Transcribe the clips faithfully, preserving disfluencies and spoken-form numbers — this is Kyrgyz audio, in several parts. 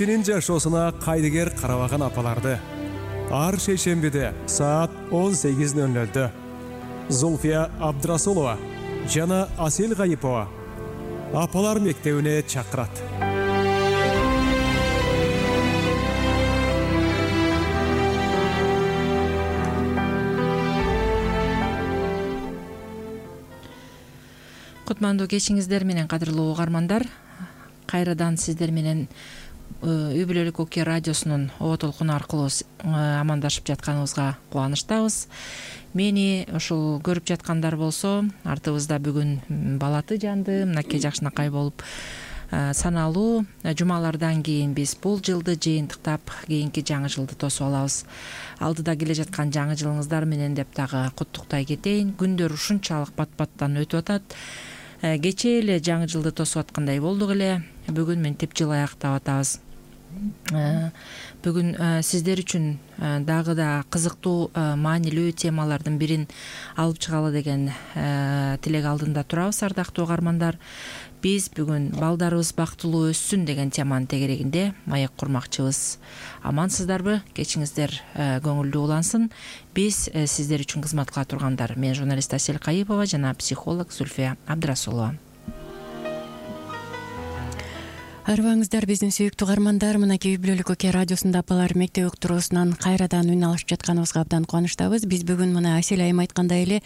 Сенин жашоосуна кайдыгер карабаган апаларды ар шейшембиде саат он сегиз ноль нольдө Зульфия Абдрасулова жана Асел Гайипова апалар мектебине чакырат. Кутмандуу кечиңиздер менен кадырлуу угармандар, кайрадан сиздер менен Үй бүлөлүк Оке радиосунун оо толкуну аркылуу амандашып жатканыбызга кубанычтабыз. Мени ушул көрүп жаткандар болсо, артыбызда бүгүн балаты жанды, мынакей жакшынакай болуп саналуу жумалардан кийин биз бул жылды жыйынтыктап, кийинки жаңы жылды тосуп алабыз. Алдыда келе жаткан жаңы жылыңыздар менен деп дагы куттуктай кетейин. Күндөр ушунчалык бат-баттан өтүп атат. Кечээ эле жаңы жылды тосуп аткандай болдук эле. Бүгүн ментип жыл аяктап атабыз. Бүгүн сиздер үчүн дагы да кызыктуу, маанилүү темалардын бирин алып чыгалы деген тилек алдында турабыз, ардактуу угармандар. Биз бүгүн балдарыбыз бактылуу өссүн деген теманын тегерегинде маек курмакчыбыз. Амансыздарбы? Кечиңиздер көңүлдүү улансын. Биз сиздер үчүн кызмат кыла тургандар. Мен журналист Асел Гайипова жана психолог Зульфия Абдрасулова. Арыбаңыздар, биздин сүйүктүү угармандар, мынакей Үй бүлөлүк Оке радиосунда апалар мектеп уктуруусунан кайрадан үн алышып жатканыбызга абдан кубанычтабыз. Биз бүгүн мына Асел айым айткандай эле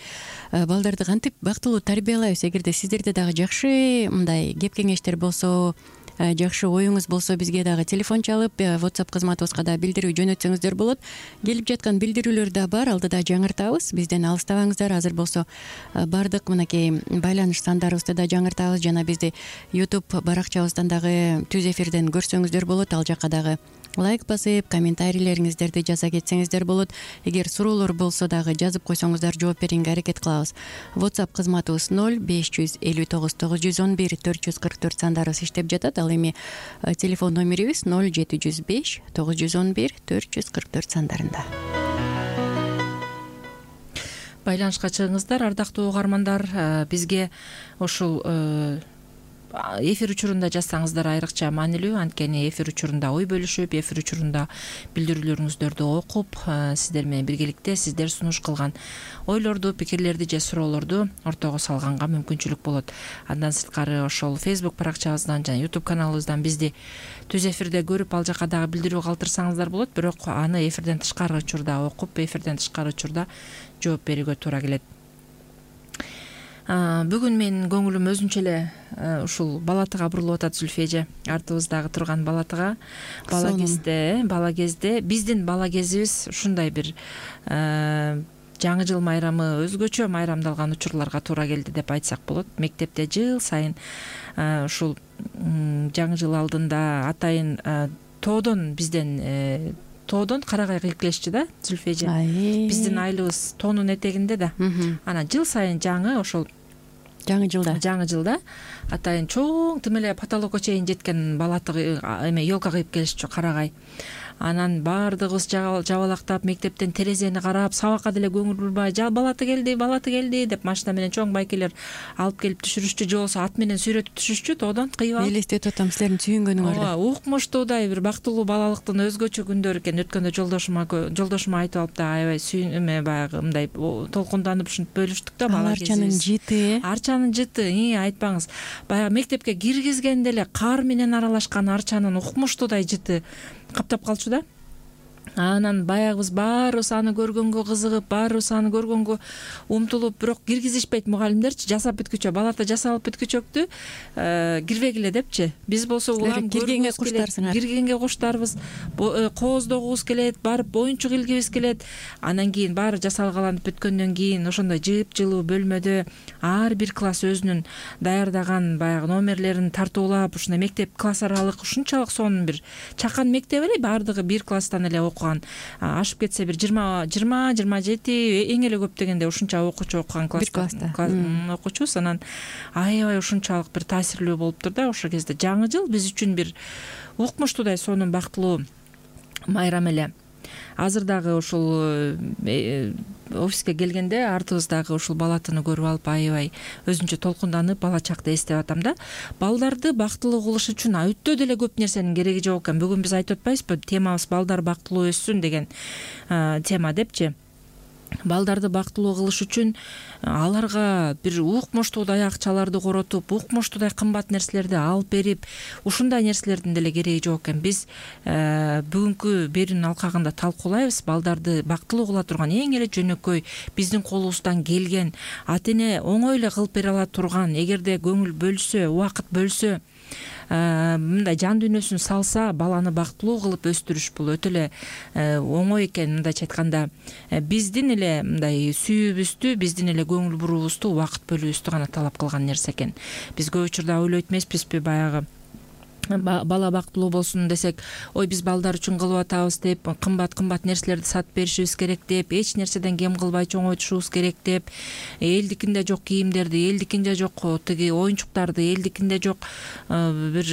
балдарды кантип бактылуу тарбиялайбыз. Эгерде сиздерде дагы жакшы мындай кеп кеңештер болсо, жакшы оюңуз болсо, бизге дагы телефон чалып, WhatsApp кызматыбызга да билдирүү жөнөтсөңүздөр болот. Келип жаткан билдирүүлөр да бар, алдыда жаңыртабыз. Бизден алыстабаңыздар. Азыр болсо бардык мынакей байланыш сандарыбызды да жаңыртабыз жана бизди YouTube баракчабыздан дагы түз эфирден көрсөңүздөр болот. Ал жакка дагы лайк басып, комментарийлериңиздерди жаза кетсеңиздер болот. Эгер суроолор болсо дагы жазып койсоңуздар, жооп берүүгө аракет кылабыз. WhatsApp кызматыбыз ноль беш жүз элүү тогуз тогуз жүз он бир төрт жүз кырк төрт сандарыбыз иштеп жатат. Ал эми телефон номерибиз ноль жети жүз беш тогуз жүз он бир төрт жүз кырк төрт сандарында. Байланышка чыгыңыздар, ардактуу угармандар. Бизге ушул эфир учурунда жазсаңыздар айрыкча маанилүү. Анткени эфир учурунда ой бөлүшүп, эфир учурунда билдирүүлөрүңүздөрдү окуп, сиздер менен биргеликте сиздер сунуш кылган ойлорду, пикирлерди же суроолорду ортого салганга мүмкүнчүлүк болот. Андан сырткары ошол Facebook баракчабыздан жана YouTube каналыбыздан бизди түз эфирде көрүп, ал жака дагы билдирүү калтырсаңыздар болот. Бирок аны эфирден тышкары учурда окуп, эфирден тышкары учурда жооп берүүгө туура келет. Бүгүн менин көңүлүм өзүнчө эле ушул балатыга бурулуп атат, Зульфия эже. Артыбыздагы турган балатыга. Бала кезде, бала кезде биздин бала кезибиз ушундай бир жаңы жыл майрамы өзгөчө майрамдалган учурларга туура келди деп айтсак болот. Мектепте жыл сайын ушул жаңы жыл алдында атайын тоодон бизден тоодон карагай кыйып келишчи да, Зульфия эже. Биздин айлыбыз тоонун этегинде да. Анан жыл сайын жаңы ошол жаңы жылда жаңы жылда атайын чоң тим эле потолокко чейин жеткен балаты эме елка кыйып келишчү, карагай. Анан баардыгыбыз жабалактап мектептен терезени карап, сабакка деле көңүл бурбай, балаты келди, балаты келди деп машина менен чоң байкелер алып келип түшүрүшчү, же болбосо ат менен сүйрөтүп түшүшчү тоодон кыйып алып. Элестетип атам силердин сүйүнгөнүңөрдү. Ооба, укмуштуудай бир бактылуу балалыктын өзгөчө күндөрү экен. Өткөндө жолдошума жолдошума айтып алып да, аябай сүйүн эме баягы мындай толкунданып ушинтип бөлүштүк да бала кезибиз. Арчанын жыты, арчанын жыты, айтпаңыз. Баягы мектепке киргизгенде эле кар менен аралашкан арчанын укмуштуудай жыты каптап калчу да. Анан баягыбыз баарыбыз аны көргөнгө кызыгып, баарыбыз аны көргөнгө умтулуп, бирок киргизишпейт мугалимдерчи, жасап бүткүчө, балата жасалып бүткүчөктү кирбегиле депчи. Биз болсо улам киргенге куштарсыңар. Киргенге куштарбыз, кооздогубуз келет, барып оюнчук илгибиз келет. Анан кийин баары жасалгаланып бүткөндөн кийин ошондой жып-жылуу бөлмөдө ар бир класс өзүнүн даярдаган баягы номерлерин тартуулап, ушундай мектеп класс аралык ушунчалык сонун бир чакан мектеп эле, баардыгы бир класстан эле окуган. Ашып кетсе бир жыйырма жыйырма жети эң эле көп дегенде ушунча окуучу окуган класста окуучубуз. Анан аябай ушунчалык бир таасирлүү болуптур да ошол кезде. Жаңы жыл биз үчүн бир укмуштуудай сонун бактылуу майрам эле. азыр дагы ушул офиске келгенде артыбыздагы ушул бала атаны көрүп алып аябай өзүнчө толкунданып бала чакты эстеп атам да. Балдарды бактылуу кылыш үчүн өтө деле көп нерсенин кереги жок экен. Бүгүн биз айтып атпайбызбы, темабыз балдар бактылуу өссүн деген тема депчи. Балдарды бактылуу кылыш үчүн аларга бир укмуштуудай акчаларды коротуп, укмуштуудай кымбат нерселерди алып берип, ушундай нерселердин деле кереги жок экен. Биз бүгүнкү берүүнүн алкагында талкуулайбыз. Балдарды бактылуу кыла турган эң эле жөнөкөй биздин колубуздан келген, ата эне оңой эле кылып бере ала турган, эгерде көңүл бөлсө, убакыт бөлсө, мындай жан дүйнөсүн салса, баланы бактылуу кылып өстүрүш бул өтө эле оңой экен. Мындайча айтканда, биздин эле мындай сүйүүбүздү, биздин эле көңүл буруубузду, убакыт бөлүүбүздү гана талап кылган нерсе экен. Биз көп учурда ойлойт эмеспизби, баягы бала бактылуу болсун десек, ой биз балдар үчүн кылып атабыз деп, кымбат кымбат нерселерди сатып беришибиз керек деп, эч нерседен кем кылбай чоңойтушубуз керек деп, элдикинде жок кийимдерди, элдикинде жок тиги оюнчуктарды, элдикинде жок бир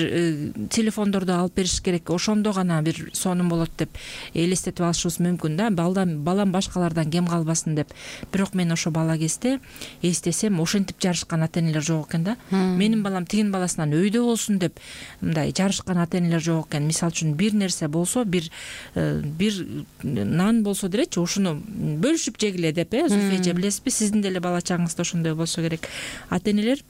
телефондорду алып бериш керек, ошондо гана бир сонун болот деп элестетип алышыбыз мүмкүн да. Балдан балам башкалардан кем калбасын деп. Бирок мен ошо бала кезде эстесем, ошентип жарышкан ата энелер жок экен да. Менин балам тигин баласынан өйдө болсун деп жарышкан ата энелер жок экен. Мисалы үчүн бир нерсе болсо, бир бир нан болсо делечи, ушуну бөлүшүп жегиле деп, э Зульфия эже, билесизби, сиздин деле бала чагыңызда ошондой болсо керек. Ата энелер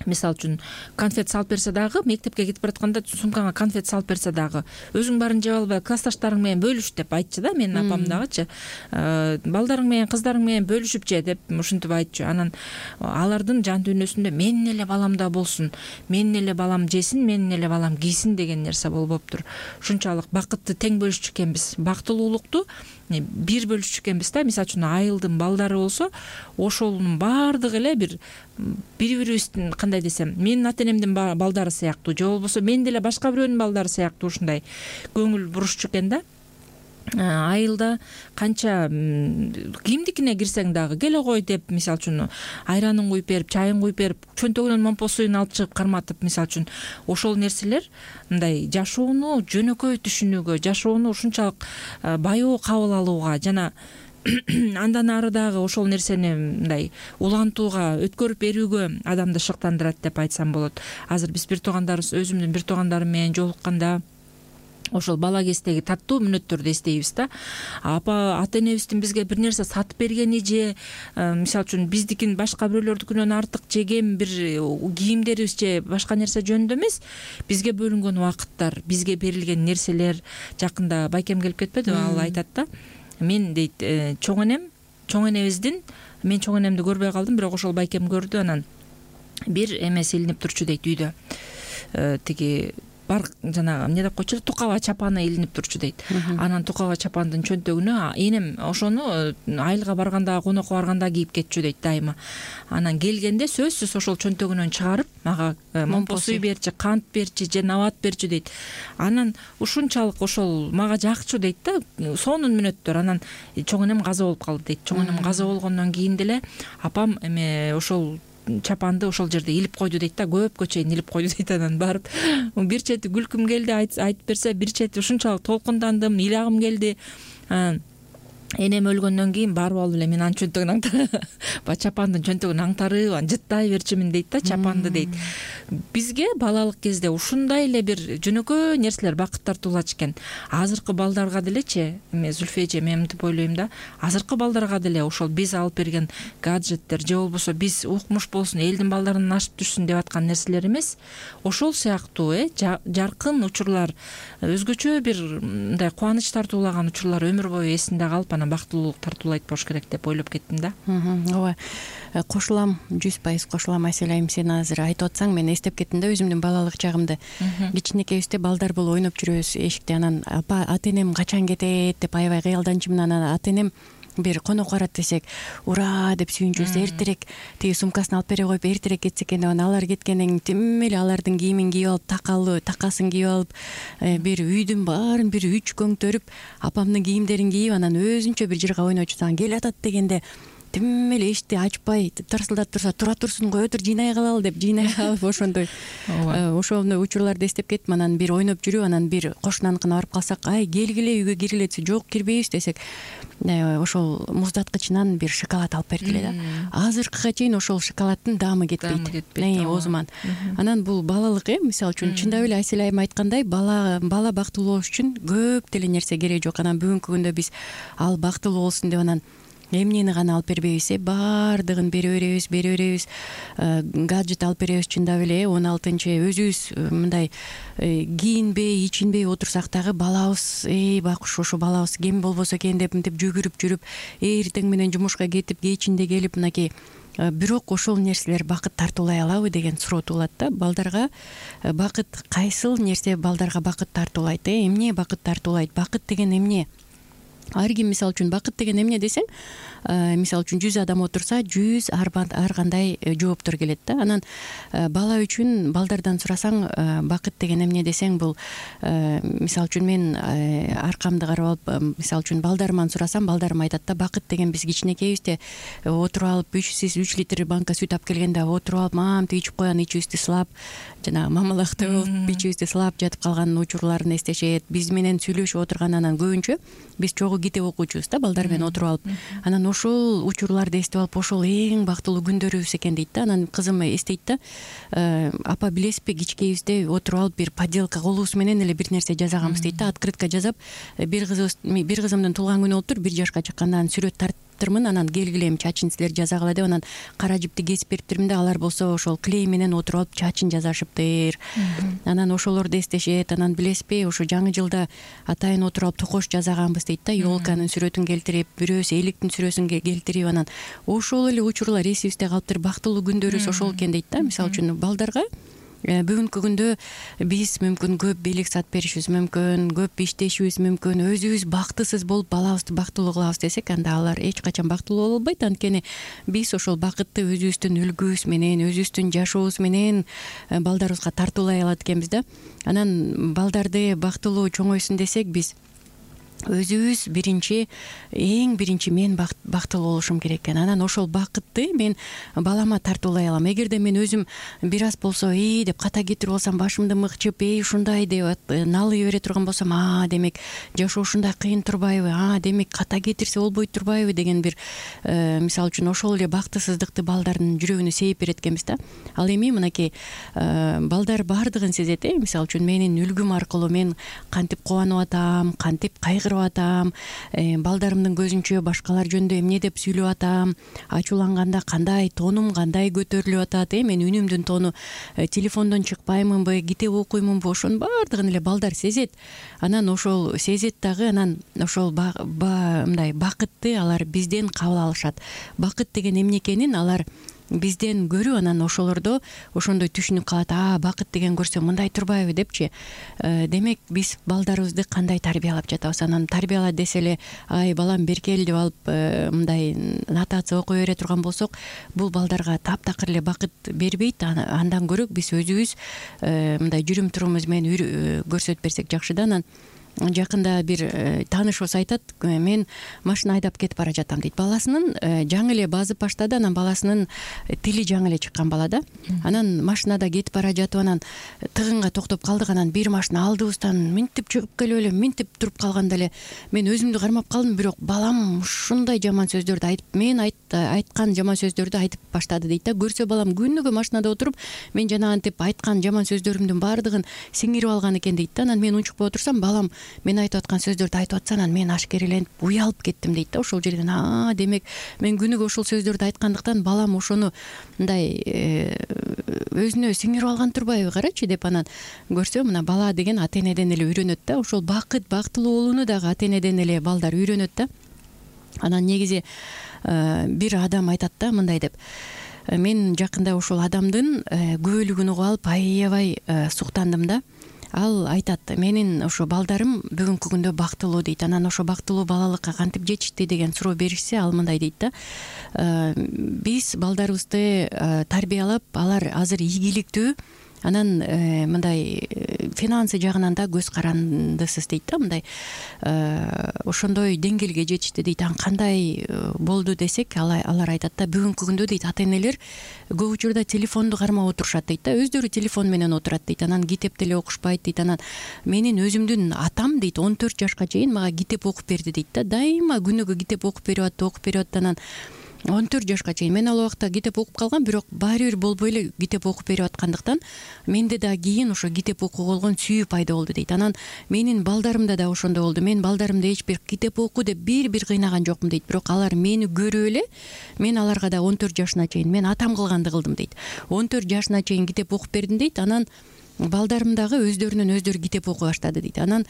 мисалы үчүн конфет салып берсе дагы, мектепке кетип баратканда сумкаңа конфет салып берсе дагы, өзүң баарын жеп албай классташтарың менен бөлүш деп айтчу да. Менин апам дагычы, балдарың менен кыздарың менен бөлүшүп же деп ушинтип айтчу. Анан алардын жан дүйнөсүндө менин эле балам да болсун, менин эле балам жесин, менин эле балам кийсин деген нерсе болуптур. Ушунчалык бакытты тең бөлүшчү экенбиз, бактылуулукту бир бөлүшчү экенбиз да. Мисалы үчүн айылдын балдары болсо, ошонун баардыгы эле бир бири-бирибиздин, кандай десем, менин ата энемдин балдары сыяктуу, же болбосо мен деле башка бирөөнүн балдары сыяктуу ушундай көңүл бурушчу экен да. Айылда канча кимдикине кирсең дагы келе кой деп, мисалы үчүн айранын куюп берип, чайын куюп берип, чөнтөгүнөн момпо суюн алып чыгып карматып, мисалы үчүн ошол нерселер мындай жашоону жөнөкөй түшүнүүгө, жашоону ушунчалык баяу кабыл алууга жана андан ары дагы ошол нерсени мындай улантууга, өткөрүп берүүгө адамды шыктандырат деп айтсам болот. Азыр биз бир туугандарыбыз, өзүмдүн бир туугандарым менен жолукканда ошол бала кездеги таттуу мүнөттөрдү эстейбиз да. Апа ата энебиздин бизге бир нерсе сатып бергени же мисалы үчүн биздикин башка бирөөлөрдүкүнөн артык жеген бир кийимдерибиз же башка нерсе жөнүндө эмес, бизге бөлүнгөн убакыттар, бизге берилген нерселер. Жакында байкем келип кетпедиби, ал айтат да, мен дейт чоң энем, чоң энебиздин, мен чоң энемди көрбөй калдым, бирок ошол байкем көрдү. Анан бир эмеси илинип турчу дейт үйдө, тиги бар жанагы эмне деп койчу, тукаба чапаны илинип турчу дейт. Анан тукаба чапандын чөнтөгүнө энем ошону айылга барганда, конокко барганда кийип кетчү дейт дайыма. Анан келгенде сөзсүз ошол чөнтөгүнөн чыгарып мага момпо сүй берчи, кант берчи же набат берчи дейт. Анан ушунчалык ошол мага жакчу дейт да, сонун мүнөттөр. Анан чоң энем каза болуп калды дейт. Чоң энем каза болгондон кийин деле апам эме ошол чапанды ошол жерде илип койду дейт да, көпкө чейин илип койду дейт. Анан барып бир чети күлкүм келди, айтып берсе, бир чети ушунчалык толкундандым, ыйлагым келди. Энем өлгөндөн кийин барып алып эле мен анын чөнтөгүн аңтарып, чапандын чөнтөгүн аңтарып, жыттай берчимин дейт да, чапанды дейт. Бизге балалык кезде ушундай эле бир жөнөкөй нерселер бакыт тартуулачу экен. Азыркы балдарга делечи, эме Зульфия эже, мен мынтип ойлойм да, азыркы балдарга деле ошол биз алып берген гаджеттер же болбосо биз укмуш болсун, элдин балдарынан ашып түшсүн деп аткан нерселер эмес, ошол сыяктуу э жаркын учурлар, өзгөчө бир мындай кубаныч тартуулаган учурлар өмүр бою эсинде калып, анан бактылуулук тартуулайт болуш керек деп ойлоп кеттим да. Ооба, кошулам, жүз пайыз кошулам. Асель айым, сен азыр айтып атсаң, мен эстеп кеттим да өзүмдүн балалык чагымды. Кичинекейибизде балдар болуп ойноп жүрөбүз эшикте. Анан апа, ата энем качан кетет деп аябай кыялданчумун. Анан ата энем бир конок барат десек, ура деп сүйүнчүбүз, эртерээк тиги сумкасын алып бере коюп эртерээк кетсе экен деп. Анан алар кеткенден кийин тим эле алардын кийимин кийип алып, такалы такасын кийип алып, бир үйдүн баарын бир үч көңтөрүп, апамдын кийимдерин кийип, анан өзүнчө бир жырга ойночу, анан келе атат дегенде тим эле эшикти ачпай тарсылдап турса тура турсун кое тур жыйнай калалы деп жыйнай алып ошондой ошондой учурларды эстеп кеттим. Анан бир ойноп жүрүп анан бир кошунаныкына барып калсак, ай келгиле үйгө киргиле десе, жок кирбейбиз десек, ошол муздаткычынан бир шоколад алып бергиле да. Азыркыга чейин ошол шоколаддын даамы кетпейт, оозуман. Анан бул балалык э мисалы үчүн чындап эле Асель айым айткандай, бала бала бактылуу болуш үчүн көп деле нерсе керек жок. Анан бүгүнкү күндө биз ал бактылуу болсун деп анан эмнени гана алып бербейбиз, э баардыгын бере беребиз, бере беребиз. Гаджет алып беребиз чындап эле. он алтынчы өзүбүз мындай кийинбей, ичинбей отурсак дагы балабыз, эй байкуш ошо балабыз кем болбосо экен деп мынтип жүгүрүп жүрүп, эртең менен жумушка кетип, кечинде келип мынакей. Бирок ошол нерселер бакыт тартуулай алабы деген суроо туулат да. Балдарга бакыт кайсыл нерсе балдарга бакыт тартуулайт, э эмне бакыт тартуулайт? Бакыт деген эмне? Ар ким мисалы үчүн бакыт деген эмне десең, мисалы үчүн жүз адам отурса, жүз ар кандай жооптор келет да. Анан бала үчүн балдардан сурасаң, бакыт деген эмне десең, бул мисалы үчүн мен аркамды карап алып, мисалы үчүн балдарыман сурасам, балдарым айтат да, бакыт деген биз кичинекейбизде отуруп алып үч литр банка сүт алып келгенде отуруп алып, мамтип ичип коян, ичибизди сылап, жана мамалактай болуп ичибизди сылап жатып калган учурларын эстешет. Биз менен сүйлөшүп отурган, анан көбүнчө биз чогуу китеп окуучубуз да, балдар менен отуруп алып. Анан ошол учурларды эстеп алып, ошол эң бактылуу күндөрүбүз экен дейт да. Анан кызым эстейт да, апа билесизби, кичкейибизде отуруп алып бир поделка колубуз менен эле бир нерсе жасаганбыз дейт да. Открытка жасап, бир кызыбыз бир кызымдын туулган күнү болуптур, бир жашка чыкканда сүрөт тарттырмын, анан келгиле эми чачын силер жасагыла деп, анан кара жипти кесип бериптирмин да, алар болсо ошол клей менен отуруп алып чачын жасашыптыр. Анан ошолорду эстешет. Анан билесизби, ошо жаңы жылда атайын отуруп алып токош жасаганбыз дейт да, ёлканын сүрөтүн келтирип, бирөөсү эликтин сүрөсүн келтирип, анан ошол эле учурлар эсибизде калыптыр. Бактылуу күндөрүбүз ошол экен дейт да. Мисалы үчүн балдарга бүгүнкү күндө биз мүмкүн көп белек сат беришибиз мүмкүн, көп иштешибиз мүмкүн, өзүбүз бактысыз болуп балабызды бактылуу кылабыз десек, анда алар эч качан бактылуу боло албайт. Анткени биз ошол бакытты өзүбүздүн үлгүбүз менен, өзүбүздүн жашообуз менен балдарыбызга тартуулай алат экенбиз да. Анан балдарды бактылуу чоңойсун десек, биз өзүбүз биринчи, эң биринчи мен бактылуу болушум керек экен. Анан ошол бакытты мен балама тартуулай алам. Эгерде мен өзүм бир аз болсо эй деп ката кетирип алсам, башымды мыкчып, эй ушундай деп налый бере турган болсом, а демек жашоо ушундай кыйын турбайбы, а демек ката кетирсе болбой турбайбы деген бир мисалы үчүн ошол эле бактысыздыкты балдардын жүрөгүнө сейип берет экенбиз да. Ал эми мынакей балдар баардыгын сезет, э мисалы үчүн менин үлгүм аркылуу мен кантип кубанып атам, кантип кайгырып атам, балдарымдын көзүнчө башкалар жөнүндө эмне деп сүйлөп атам, ачууланганда кандай тонум кандай көтөрүлүп атат, э мен үнүмдүн тону телефондон чыкпаймынбы, китеп окуймунбу, ошонун баардыгын эле балдар сезет. Анан ошол сезет дагы, анан ошол мындай бакытты алар бизден кабыл алышат. Бакыт деген эмне экенин алар бизден көрүп, анан ошолордо ошондой түшүнүп калат. А бакыт деген көрсө мындай турбайбы депчи. Демек биз балдарыбызды кандай тарбиялап жатабыз? Анан тарбияла десе эле, ай балам беркел деп алып мындай нотация окуй бере турган болсок, бул балдарга таптакыр эле бакыт бербейт. Андан көрө биз өзүбүз мындай жүрүм турумубуз менен көрсөтүп берсек жакшы да. Анан жакында бир таанышыбыз айтат, мен машина айдап кетип бара жатам дейт. Баласынын жаңы эле базып баштады, анан баласынын тили жаңы эле чыккан бала да. Анан машинада кетип бара жатып, анан тыгынга токтоп калдык. Анан бир машина алдыбыздан минтип чыгып келип эле, минтип туруп калганда эле мен өзүмдү кармап калдым. Бирок балам ушундай жаман сөздөрдү айтып, мен айткан жаман сөздөрдү айтып баштады дейт да. Көрсө балам күнүгө машинада отуруп, мен жанагынтип айткан жаман сөздөрүмдүн баардыгын сиңирип алган экен дейт да. Анан мен унчукпай отурсам, балам мен айтып аткан сөздөрдү айтып атса, анан мен ашкереленип уялып кеттим дейт да. Ошол жерден а демек мен күнүгө ошол сөздөрдү айткандыктан балам ошону мындай өзүнө сиңирип алган турбайбы, карачы деп. Анан көрсө, мына бала деген ата энеден эле үйрөнөт да. Ошол бакыт, бактылуу болууну дагы ата энеден эле балдар үйрөнөт да. Анан негизи бир адам айтат да мындай деп: мен жакында ошол адамдын күбөлүгүн угуп алып аябай суктандым да. Ал айтат, менин ошо балдарым бүгүнкү күндө бактылуу дейт. Анан ошо бактылуу балалыкка кантип жетишти деген суроо беришсе, ал мындай дейт да: биз балдарыбызды тарбиялап, алар азыр ийгиликтүү, анан мындай финансы жагынан да көз карандысыз дейт да, мындай ошондой деңгээлге жетишти дейт. Анан кандай болду десек, алар айтат да, бүгүнкү күндө дейт ата энелер көп учурда телефонду кармап отурушат дейт да, өздөрү телефон менен отурат дейт, анан китеп деле окушпайт дейт. Анан менин өзүмдүн атам дейт он төрт жашка чейин мага китеп окуп берди дейт да, дайыма күнүгө китеп окуп берип атты, окуп берип атты. Анан он төрт жашка чейин мен ал убакта китеп окуп калгам, бирок баары бир болбой эле китеп окуп берип аткандыктан менде да кийин ошо китеп окууга болгон сүйүү пайда болду дейт. Анан менин балдарымда да ошондой болду. Мен балдарымды эч бир китеп оку деп бир бир кыйнаган жокмун дейт, бирок алар мени көрүп эле мен аларга да он төрт жашына чейин мен атам кылганды кылдым дейт. он төрт жашына чейин китеп окуп бердим дейт. Анан балдарым дагы өздөрүнөн өздөрү китеп окуй баштады дейт. Анан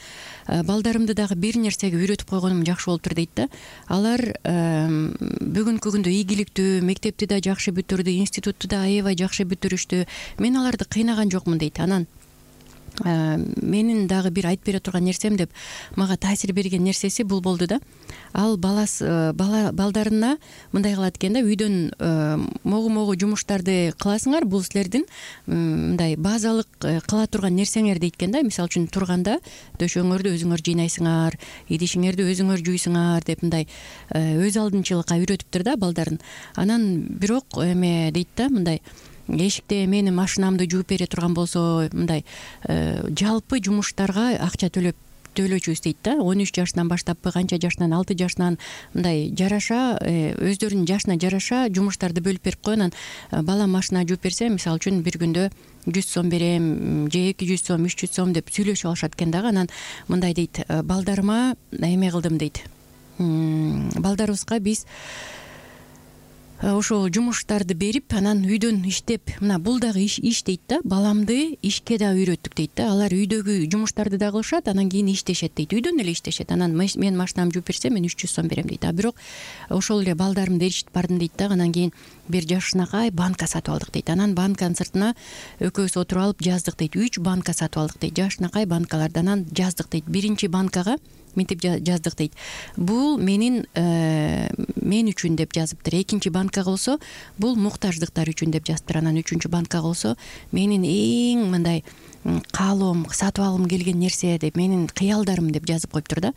балдарымды дагы бир нерсеге үйрөтүп койгонум жакшы болуптур дейт да. Алар бүгүнкү күндө ийгиликтүү, мектепти да жакшы бүтүрдү, институтту да аябай жакшы бүтүрүштү. Мен аларды кыйнаган жокмун дейт. Анан менин дагы бир айтып бере турган нерсем деп мага таасир берген нерсеси бул болду да. Ал баласы бала балдарына мындай кылат экен да, үйдөн могу могу жумуштарды кыласыңар, бул силердин мындай базалык кыла турган нерсеңер дейт экен да. Мисалы үчүн турганда дөшөөңөрдү өзүңөр жыйнайсыңар, идишиңерди өзүңөр жуйсуңар деп мындай өз алдынчылыкка үйрөтүптүр да балдарын. Анан бирок эме дейт да, мындай эшикте менин машинамды жууп бере турган болсо, мындай жалпы жумуштарга акча төлөп төлөчүбүз дейт да. он үч жашынан баштаппы, канча жашынан, алты жашынан мындай жараша өздөрүнүн жашына жараша жумуштарды бөлүп берип койгон. Анан балам машина жууп берсе, мисалы үчүн бир күндө жүз сом берем же эки жүз сом, үч жүз сом деп сүйлөшүп алышат экен дагы. Анан мындай дейт, балдарыма эме кылдым дейт, балдарыбызга биз ошол жумуштарды берип, анан үйдөн иштеп, мына бул дагы иш иш дейт да, баламды ишке да үйрөттүк дейт да. Алар үйдөгү жумуштарды да кылышат, анан кийин иштешет дейт, үйдөн эле иштешет. Анан мен машинамды жууп берсем, мен үч жүз сом берем дейт. А бирок ошол эле балдарымды эришитип бардым дейт да. Анан кийин бир жашынакай банка сатып алдык дейт. Анан банканын сыртына экөөбүз отуруп алып жаздык дейт, үч банка сатып алдык дейт, жашынакай банкаларды. Анан жаздык дейт, биринчи банкага мынтип жаздык дейт, бул менин мен үчүн деп жазыптыр. Экинчи банкага болсо бул муктаждыктар үчүн деп жазыптыр. Анан үчүнчү банкага болсо менин эң мындай каалоом, сатып алгым келген нерсе деп, менин кыялдарым деп жазып коюптур да.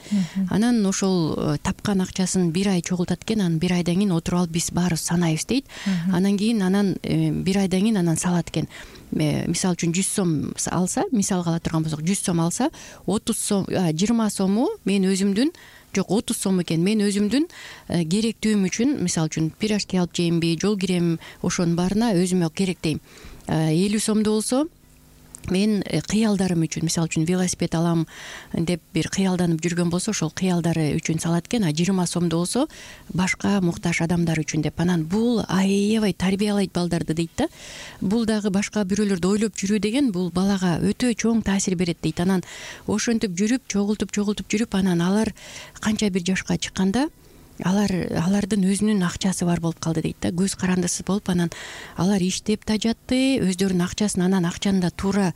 Анан ошол тапкан акчасын бир ай чогултат экен. Анан бир айдан кийин отуруп алып биз баарыбыз санайбыз дейт. Анан кийин анан бир айдан кийин анан салат экен. Мисалы үчүн жүз сом алса, мисалга ала турган болсок, жүз сом алса, отуз сом, жыйырма сому мен өзүмдүн, жок отуз сом экен, мен өзүмдүн керектүүм үчүн, мисалы үчүн пирожки алып жеймби, жол кирем, ошонун баарына өзүмө керектейм. элүү сомду болсо мен кыялдарым үчүн, мисалы үчүн велосипед алам деп бир кыялданып жүргөн болсо, ошол кыялдары үчүн салат экен. А жыйырма сомду болсо башка муктаж адамдар үчүн деп. Анан бул аябай тарбиялайт балдарды дейт да. Бул дагы башка бирөөлөрдү ойлоп жүрүү деген бул балага өтө чоң таасир берет дейт. Анан ошентип жүрүп, чогултуп чогултуп жүрүп, анан алар канча бир жашка чыкканда алар алардын өзүнүн акчасы бар болуп калды дейт да, көз карандысыз болуп. Анан алар иштеп да жатты, өздөрүнүн акчасын, анан акчаны да туура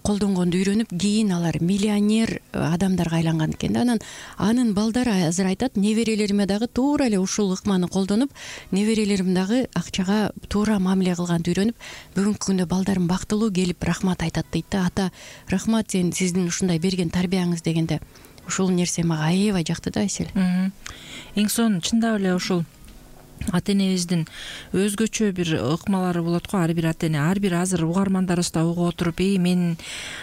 колдонгонду үйрөнүп, кийин алар миллионер адамдарга айланган экен да. Анан анын балдары азыр айтат, неберелериме дагы туура эле ушул ыкманы колдонуп, неберелерим дагы акчага туура мамиле кылганды үйрөнүп, бүгүнкү күндө балдарым бактылуу келип рахмат айтат дейт да. Ата, рахмат сен сиздин ушундай берген тарбияңыз дегенде. Ушул нерсе мага аябай жакты да, Асель. Эң сонун чындап эле ушул ата энебиздин өзгөчө бир ыкмалары болот го. Ар бир ата эне, ар бир азыр угармандарыбыз да угуп отуруп, эй менин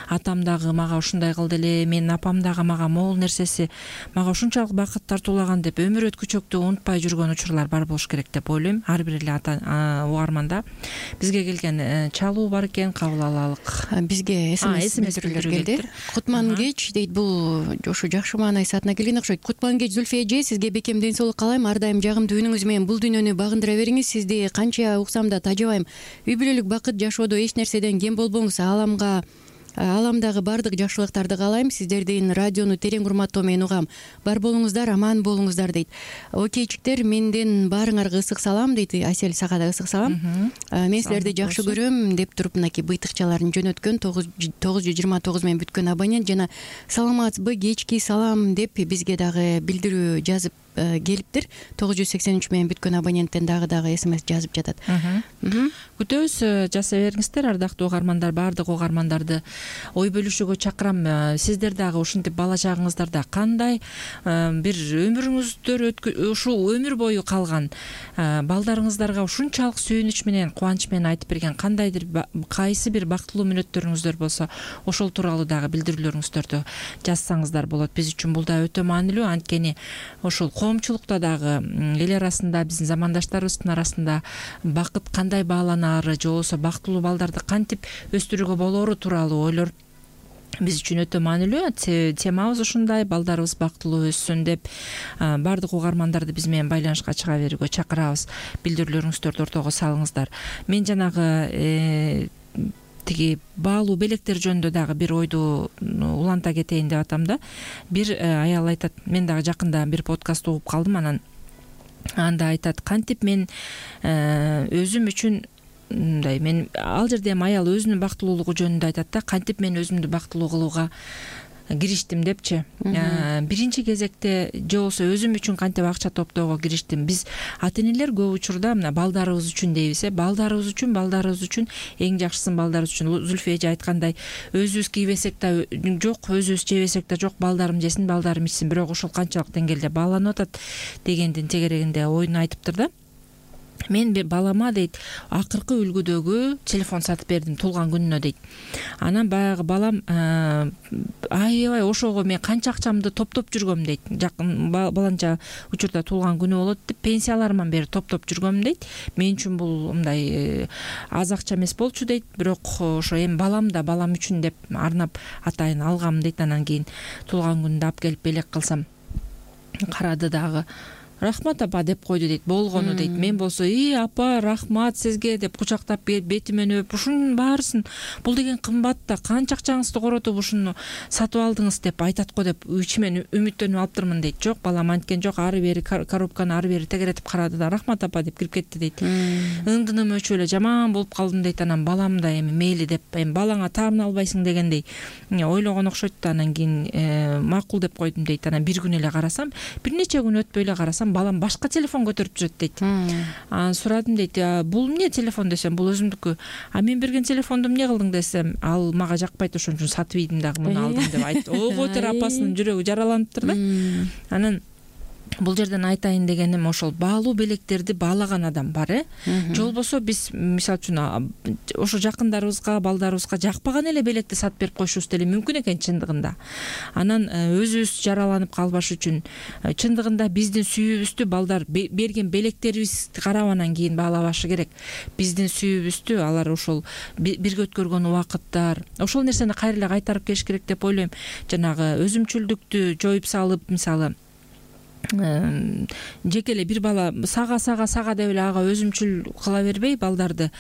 атам дагы мага ушундай кылды эле, менин апам дагы мага могул нерсеси мага ушунчалык бакыт тартуулаган деп өмүр өткүчөктү унутпай жүргөн учурлар бар болуш керек деп ойлойм. Ар бир эле ата угарманда бизге келген чалуу бар экен, кабыл алалык. Бизге смс билдирүүлөр келди. Кутман кеч дейт, бул ошо жакшы маанай саатына келген окшойт. Кутман кеч Зульфия эже, сизге бекем ден соолук каалайм. Ар дайым жагымдуу үнүңүз менен бул дүйнөнү багындыра бериңиз. Сизди канча уксам да тажабайм. Үй бүлөлүк бакыт жашоодо эч нерседен кем болбоңуз. Ааламга Ааламдагы бардык жакшылыктарды каалайм. Сиздердин радиону терең урматтоо менен угам. Бар болуңуздар, аман болуңуздар дейт. Окейчиктер, менден баарыңарга ысык салам дейт. Асель, сага да ысык салам. Мен силерди жакшы көрөм деп туруп мынакей быйтыкчаларын жөнөткөн тогуз жүз жыйырма тогуз менен бүткөн абонент жана саламатсызбы, кечки салам деп бизге дагы билдирүү жазып келиптир. тогуз жүз сексен үч менен бүткөн абоненттен дагы дагы смс жазып жатат. Күтөбүз, жаза бериңиздер ардактуу угармандар. Баардык угармандарды ой бөлүшүүгө чакырам. Сиздер дагы ушинтип бала чагыңыздарда кандай бир өмүрүңүздөр ушул өмүр бою калган балдарыңыздарга ушунчалык сүйүнүч менен кубанч менен айтып берген кандайдыр кайсы бир бактылуу мүнөттөрүңүздөр болсо ошол тууралуу дагы билдирүүлөрүңүздөрдү жазсаңыздар болот. Биз үчүн бул да өтө маанилүү. Анткени ошол коомчулукта дагы эл арасында биздин замандаштарыбыздын арасында бакыт кандай бааланаары же болбосо бактылуу балдарды кантип өстүрүүгө болоору тууралуу ойлор биз үчүн өтө маанилүү. Темабыз ушундай, балдарыбыз бактылуу өссүн деп баардык угармандарды биз менен байланышка чыга берүүгө чакырабыз. Билдирүүлөрүңүздөрдү ортого салыңыздар. Мен жанагы тиги баалуу белектер жөнүндө дагы бир ойду уланта кетейин деп атам да. Бир аял айтат, мен дагы жакында бир подкаст угуп калдым, анан анда айтат, кантип мен өзүм үчүн мындай, мен ал жерде эми аял өзүнүн бактылуулугу жөнүндө айтат да, кантип мен өзүмдү бактылуу кылууга кириштим депчи. Биринчи кезекте же болбосо өзүм үчүн кантип акча топтоого кириштим. Биз ата-энелер көп учурда мына балдарыбыз үчүн дейбиз, э балдарыбыз үчүн, балдарыбыз үчүн, эң жакшысын балдарыбыз үчүн. Зүлфия эже айткандай, өзүбүз кийбесек да жок, өзүбүз жебесек да жок, балдарым жесин, балдарым ичсин, бирок ошол канчалык деңгээлде бааланып атат дегендин тегерегинде оюн айтыптыр да. Мен балама дейт, акыркы үлгүдөгү телефон сатып бердим туулган күнүнө дейт. Анан баягы балам аябай ошого мен канча акчамды топтоп жүргөм дейт. Жакын баланча учурда туулган күнү болот деп пенсияларыман бери топтоп жүргөм дейт. Мен үчүн бул мындай аз акча эмес болчу дейт, бирок ошо эми балам да балам үчүн деп арнап атайын алгам дейт. Анан кийин туулган күнүндө алып келип белек кылсам карады дагы. Рахмат апа деп койду дейт, болгону дейт. Мен болсо, "И апа, рахмат сизге" деп кучактап бетимен өп, ушунун баарысын бул деген кымбат да, канча акчаңызды коротуп ушуну сатып алдыңыз деп айтат го деп ичимен үмүттөнүп алыптырмын дейт. Жок, балам анткен жок, ары бери коробканы ары бери тегеретип карады да, "Рахмат апа" деп кирип кетти дейт. Ыңдыным өчүп эле жаман болуп калдым дейт. Анан балам да эми мейли деп, эми балаңа таамын албайсың дегендей ойлогон окшойт да. Анан кийин макул деп койдум дейт. Анан бир күн эле карасам, бир нече күн өтпөй эле карасам, балам башка телефон көтөрүп жүрөт дейт. Анан сурадым дейт, "Бул эмне телефон?" десем, "Бул өзүмдүкү." "А мен берген телефонду эмне кылдың?" десем, "Ал мага жакпайт, ошон үчүн сатып ийдим дагы, муну алдым" деп айтты. Ого тер апасынын жүрөгү жараланыптыр да. Анан бул жерден айтайын дегеним, ошол баалуу белектерди баалаган адам бар, э же болбосо биз мисалы үчүн ошо жакындарыбызга, балдарыбызга жакпаган эле белекти сатып берип коюшубуз деле мүмкүн экен чындыгында. Анан өзүбүз жараланып калбаш үчүн чындыгында биздин сүйүүбүздү балдар берген белектерибизди карап анан кийин баалабашы керек. Биздин сүйүүбүздү алар ошол бирге өткөргөн убакыттар, ошол нерсени кайра эле кайтарып келиш керек деп ойлойм. Жанагы өзүмчүлдүктү жоюп салып, мисалы жеке эле бир бала сага сага сага деп эле ага өзүмчүл кыла бербей, балдарды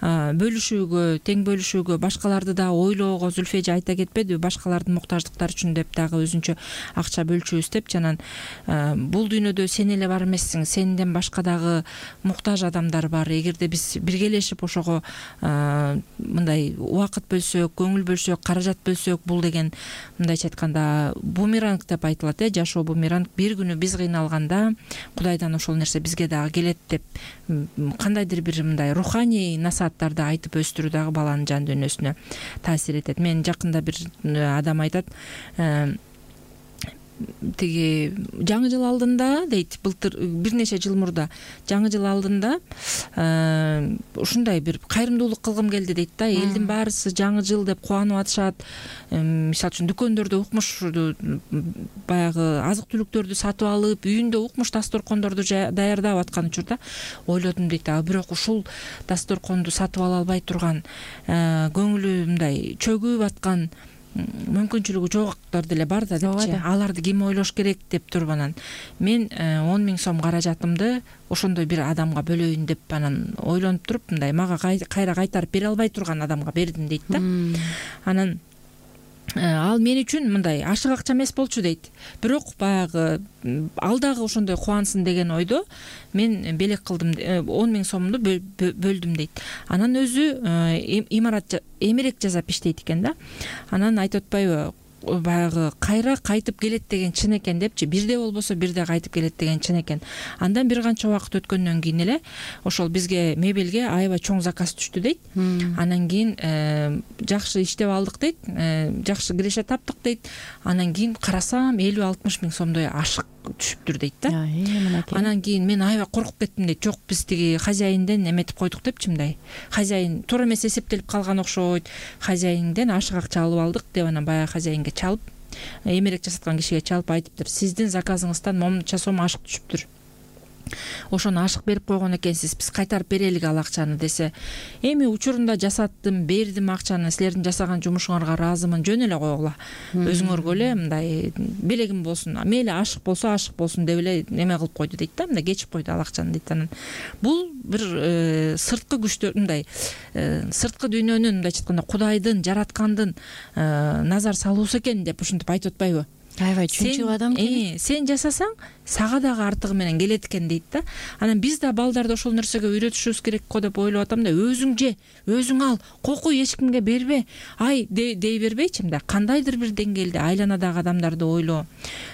бөлүшүүгө, тең бөлүшүүгө, башкаларды да ойлоого, Зүлфия эже айта кетпедиби, башкалардын муктаждыктары үчүн деп дагы өзүнчө акча бөлчүбүз деп. Жанан бул дүйнөдө сен эле бар эмессиң, сенден башка дагы муктаж адамдар бар. Эгерде биз биргелешип ошого мындай убакыт бөлсөк, көңүл бөлсөк, каражат бөлсөк, бул деген мындайча айтканда бумеранг деп айтылат, э жашоо бумеранг. Бир күнү биз кыйналганда Кудайдан ошол нерсе бизге дагы келет деп кандайдыр бир мындай руханий насааттарды айтып өстүрүү дагы баланын жан дүйнөсүнө таасир этет. Мен жакында бир адам айтат, тиги жаңы жыл алдында дейт, былтыр бир нече жыл мурда жаңы жыл алдында ушундай бир кайрымдуулук кылгым келди дейт да. Элдин баарысы жаңы жыл деп кубанып атышат. Мисалы үчүн дүкөндөрдө укмуш баягы азык түлүктөрдү сатып алып, үйүндө укмуш дасторкондорду даярдап аткан учурда ойлодум дейт, а бирок ушул дасторконду сатып ала албай турган, көңүлү мындай чөгүп аткан, мүмкүнчүлүгү жоктор деле бар да депчи. Аларды ким ойлош керек деп туруп анан мен он миң сом каражатымды ошондой бир адамга бөлөйүн деп анан ойлонуп туруп, мындай мага кайра кайтарып бере албай турган адамга бердим дейт да. Анан ал мен үчүн мындай ашык акча эмес болчу дейт. Бирок баягы ал дагы ошондой кубансын деген ойдо мен белек кылдым, он миң сомду бөлдүм дейт. Анан өзү имарат эмерек жасап иштейт экен да. Анан айтып атпайбы, баягы кайра кайтып келет деген чын экен депчи, бирде болбосо бирде кайтып келет деген чын экен. Андан бир канча убакыт өткөндөн кийин эле ошол бизге мебелге аябай чоң заказ түштү дейт. Анан кийин жакшы иштеп алдык дейт, жакшы киреше таптык дейт. Анан кийин карасам элүү алтымыш миң сомдой ашык түшүптүр дейт да. Анан кийин мен аябай коркуп кеттим дейт. Жок, биз тиги хозяинден эметип койдук депчи, мындай. Хозяин туура эмес эсептелип калган окшойт. Хозяинден ашык акча алып алдык деп анан баягы хозяинге чалып, эмерек жасаткан кишиге чалып айтыптыр: сиздин заказыңыздан момунча сом ашык түшүптүр. Ошону ашык берип койгон экенсиз, биз кайтарып берелик ал акчаны десе. Эми учурунда жасаттым, бердим акчаны, силердин жасаган жумушуңарга ыраазымын, жөн эле койгула. Өзүңөргө эле мындай белегим болсун, мейли ашык болсо ашык болсун деп эле эме кылып койду дейт да, мындай кечип койду ал акчаны дейт. Анан бул бир сырткы күчтөр, мындай сырткы дүйнөнүн, мындайча айтканда Кудайдын, жараткандын назар салуусу экен деп ушинтип айтып атпайбы? Аябай чынчыл адам экен. Сен жасасаң, сага дагы артыгы менен келет экен дейт да. Анан биз да балдарды ошол нерсеге үйрөтүшүбүз керек го деп ойлоп атам да. Өзүң же, өзүң ал, кокуй, эч кимге бербе. Ай дей бербейчи, мындай кандайдыр бир деңгээлде айланадагы адамдарды ойлоо,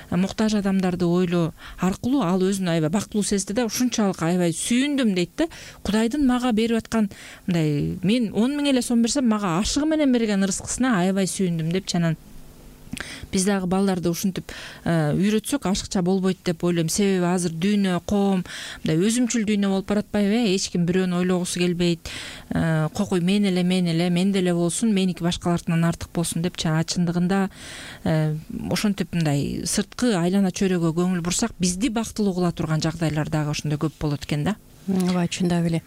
муктаж адамдарды ойлоо аркылуу ал өзүн аябай бактылуу сезди да. Ушунчалык аябай сүйүндүм дейт да. Кудайдын мага берип аткан, мындай мен он миң эле сом берсем, мага ашыгы менен берген ырыскысына аябай сүйүндүм депчи. Анан биз дагы балдарды ушинтип үйрөтсөк ашыкча болбойт деп ойлойм. Себеби азыр дүйнө, коом мындай өзүмчүл дүйнө болуп баратпайбы? Эч ким бирөөнү ойлогусу келбейт. Кокуй мен эле, мен эле, менде эле болсун, меники башкалардын артык болсун депчи. А чындыгында ошентип мындай сырткы айлана чөйрөгө көңүл бурсак, бизди бактылуу кыла турган жагдайлар дагы ошондой көп болот экен да. Ооба, чындап эле.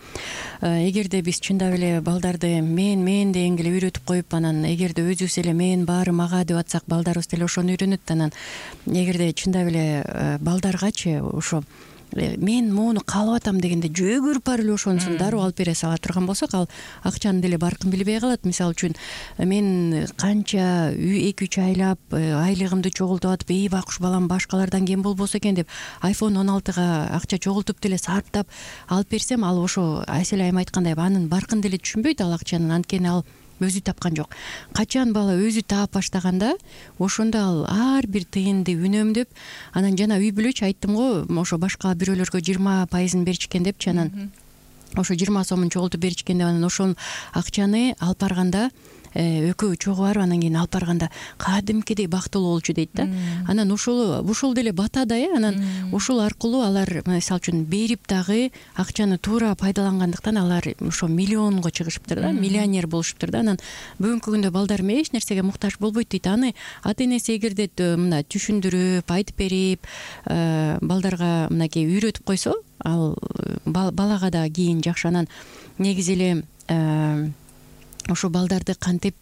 Эгерде биз чындап эле балдарды мен мен дегенге эле үйрөтүп коюп, анан эгерде өзүбүз эле мен баары мага деп атсак, балдарыбыз деле ошону үйрөнөт. Анан эгерде чындап эле балдаргачы ошо мен муну каалап атам дегенде жөгүрүп барып эле ошонусун дароо алып бере сала турган болсок, ал акчанын деле баркын билбей калат. Мисалы үчүн мен канча эки үч айлап айлыгымды чогултуп атып, эй бакуш балам башкалардан кем болбосо экен деп айфон он алтыга акча чогултуп деле сарптап алып берсем, ал ошо Асель айым айткандай анын баркын деле түшүнбөйт ал акчанын. Анткени ал өзү тапкан жок. Качан бала өзү таап баштаганда, ошондо ал ар бир тыйынды үнөмдөп, анан жана үй бүлөчү айттым го, ошо башка бирөөлөргө жыйырма пайызын беришкен депчи. Анан ошо жыйырма сомун чогултуп беришкен деп, анан ошол акчаны алып барганда экөө чогуу барып, анан кийин алып барганда кадимкидей бактылуу болчу дейт да. Анан ошол ушул деле бата да э. Анан ушул аркылуу алар мисалы үчүн берип дагы акчаны туура пайдалангандыктан алар ошо миллионго чыгышыптыр да, миллионер болушуптур да. Анан бүгүнкү күндө балдарым эч нерсеге муктаж болбойт дейт. Аны ата энеси эгерде мына түшүндүрүп, айтып берип, балдарга мынакей үйрөтүп койсо, ал балага да кийин жакшы. Анан негизи эле ошо балдарды кантип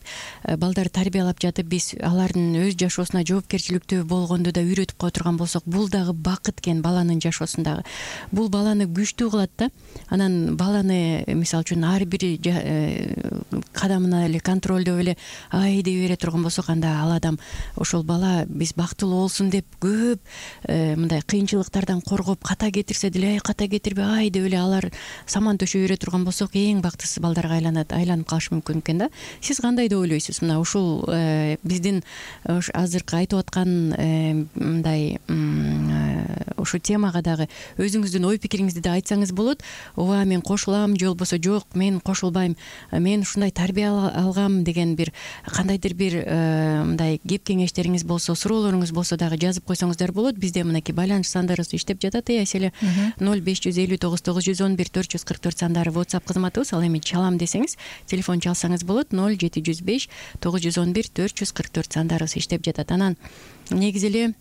балдарды тарбиялап жатып, биз алардын өз жашоосуна жоопкерчиликтүү болгонду да үйрөтүп кое турган болсок, бул дагы бакыт экен баланын жашоосундагы. Бул баланы күчтүү кылат да. Анан баланы мисалы үчүн ар бир кадамына эле контролдоп эле ай дей бере турган болсок, анда ал адам, ошол бала биз бактылуу болсун деп көп мындай кыйынчылыктардан коргоп, ката кетирсе деле ай ката кетирбе ай деп эле алар саман төшөй бере турган болсок, эң бактысыз балдарга айланат, айланып калышы мүмкүн экен да. Сиз кандай деп ойлойсуз? Мына ушул биздин азыркы айтып аткан мындай ушу темага дагы өзүңүздүн ой пикириңизди да айтсаңыз болот. Ооба, мен кошулам, же болбосо жок, мен кошулбайм, мен ушундай тарбия алгам деген бир кандайдыр бир мындай кеп кеңештериңиз болсо, суроолоруңуз болсо дагы жазып койсоңуздар болот. Бизде мынакей байланыш сандарыбыз иштеп жатат. Э Аселе, ноль беш жүз элүү тогуз тогуз жүз он бир төрт жүз кырк төрт сандары WhatsApp кызматыбыз. Ал эми чалам десеңиз, телефон чалсаңыз болот. ноль жети жүз беш тогуз жүз он бир төрт жүз кырк төрт сандарыбыз иштеп жатат. Анан негизи эле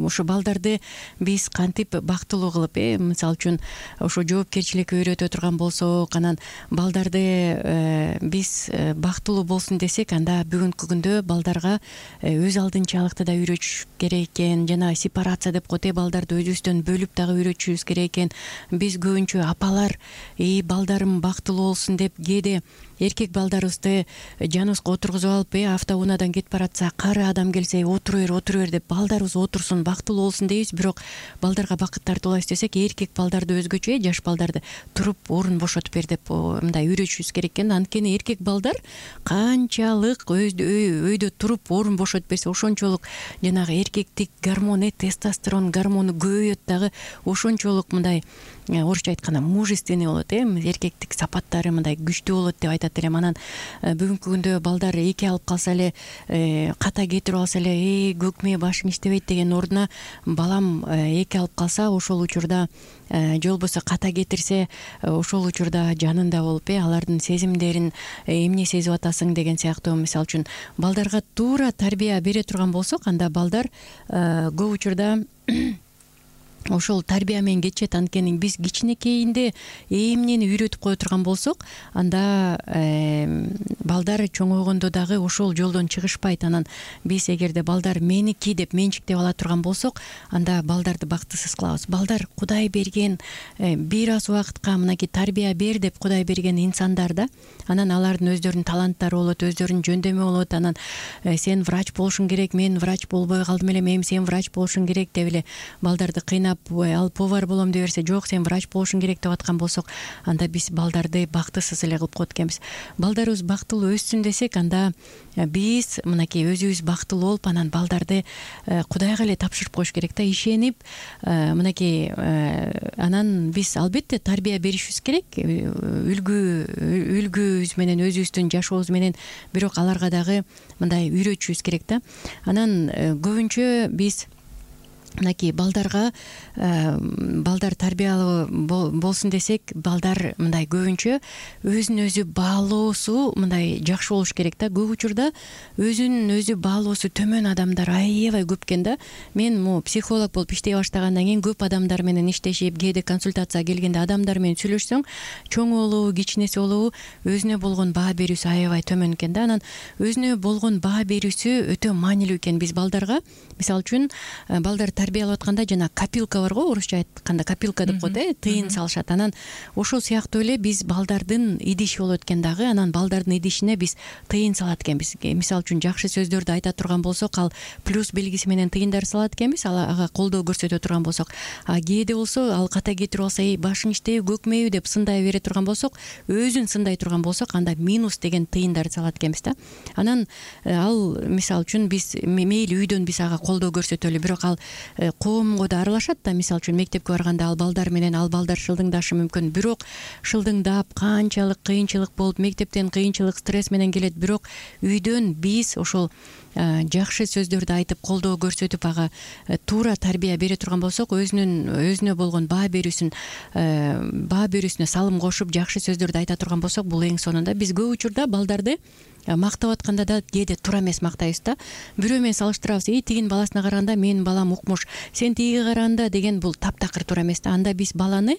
ошо балдарды биз кантип бактылуу кылып, э мисалы үчүн ошо жоопкерчиликке үйрөтө турган болсок, анан балдарды биз бактылуу болсун десек, анда бүгүнкү күндө балдарга өз алдынчалыкты да үйрөтүш керек экен. Жана сепарация деп коет, балдарды өзүбүздөн бөлүп дагы үйрөтүшүбүз керек экен. Биз көбүнчө апалар, эй балдарым бактылуу болсун деп кээде эркек балдарыбызды жаныбызга отургузуп алып э автоунаадан кетип баратса, кары адам келсе отура бер отура бер деп балдарыбыз отурсун, бактылуу болсун дейбиз. Бирок балдарга бакыт тартуулайбыз десек, эркек балдарды өзгөчө, жаш балдарды туруп орун бошотуп бер деп мындай үйрөтүшүбүз керек экен. Анткени эркек балдар канчалык өйдө туруп орун бошотуп берсе, ошончолук жанагы эркектик гормон, тестостерон гормону көбөйөт дагы, ошончолук мындай орусча айтканда мужественный болот, э эркектик сапаттары мындай күчтүү болот деп айтат элем. Анан бүгүнкү күндө балдар эки алып калса эле, ката кетирип алса эле, э көкмө башың иштебейт деген ордуна, балам эки алып калса, ошол учурда же болбосо ката кетирсе, ошол учурда жанында болуп, э алардын сезимдерин эмне сезип атасың деген сыяктуу, мисалы үчүн балдарга туура тарбия бере турган болсок, анда балдар көп учурда ошол тарбия менен кетишет. Анткени биз кичинекейинде эмнени үйрөтүп кое турган болсок, анда балдар чоңойгондо дагы ошол жолдон чыгышпайт. Анан биз эгерде балдар меники деп менчиктеп ала турган болсок, анда балдарды бактысыз кылабыз. Балдар Кудай берген бир аз убакытка мынакей тарбия бер деп Кудай берген инсандар да. Анан алардын өздөрүнүн таланттары болот, өздөрүнүн жөндөмү болот. Анан сен врач болушуң керек, мен врач болбой калдым эле, эми сен врач болушуң керек деп эле балдарды кыйнап, ал повар болом деп берсе, жок сен врач болушуң керек деп аткан болсок, анда биз балдарды бактысыз эле кылып коет экенбиз. Балдарыбыз бактылуу өссүн десек, анда биз мынакей өзүбүз бактылуу болуп, анан балдарды Кудайга эле тапшырып коюш керек да, ишенип, мынакей анан биз албетте тарбия беришибиз керек, үлгү үлгүбүз менен, өзүбүздүн жашообуз менен, бирок аларга дагы мындай үйрөтүшүбүз керек да. Анан көбүнчө биз мынакей балдарга балдар тарбиялуу болсун десек, балдар мындай көбүнчө өзүн өзү баалоосу мындай жакшы болуш керек да. Көп учурда өзүн өзү баалоосу төмөн адамдар аябай көп экен да. Мен могу психолог болуп иштей баштагандан кийин көп адамдар менен иштешип, кээде консультацияга келгенде адамдар менен сүйлөшсөң, чоң болобу, кичинеси болобу, өзүнө болгон баа берүүсү аябай төмөн экен да. Анан өзүнө болгон баа берүүсү өтө маанилүү экен. Биз балдарга, мисалы үчүн, балдар тарбиялап атканда жана копилка бар го, орусча айтканда копилка деп коет, э тыйын салышат. Анан ошол сыяктуу эле биз балдардын идиши болот экен дагы. Анан балдардын идишине биз тыйын салат экенбиз. Мисалы үчүн жакшы сөздөрдү айта турган болсок, ал плюс белгиси менен тыйындар салат экенбиз, ага колдоо көрсөтө турган болсок. А кээде болсо ал ката кетирип алса, эй башың иштеби, көкмөйбү деп сындай бере турган болсок, өзүн сындай турган болсок, анда минус деген тыйындарды салат экенбиз да. Анан ал мисалы үчүн биз мейли үйдөн биз ага колдоо көрсөтөлү, бирок ал коомго да аралашат да. Мисалы үчүн мектепке барганда ал балдар менен ал балдар шылдыңдашы мүмкүн, бирок шылдыңдап канчалык кыйынчылык болуп, мектептен кыйынчылык, стресс менен келет, бирок үйдөн биз ошол жакшы сөздөрдү айтып, колдоо көрсөтүп, ага туура тарбия бере турган болсок, өзүнүн өзүнө болгон баа берүүсүн баа берүүсүнө салым кошуп, жакшы сөздөрдү айта турган болсок, бул эң сонунда биз көп учурда балдарды мактап атканда да кээде туура эмес мактайбыз да. Бирөө менен салыштырабыз, эй тигинин баласына караганда менин балам укмуш, сен тигиге караганда деген, бул таптакыр туура эмес да. Анда биз баланы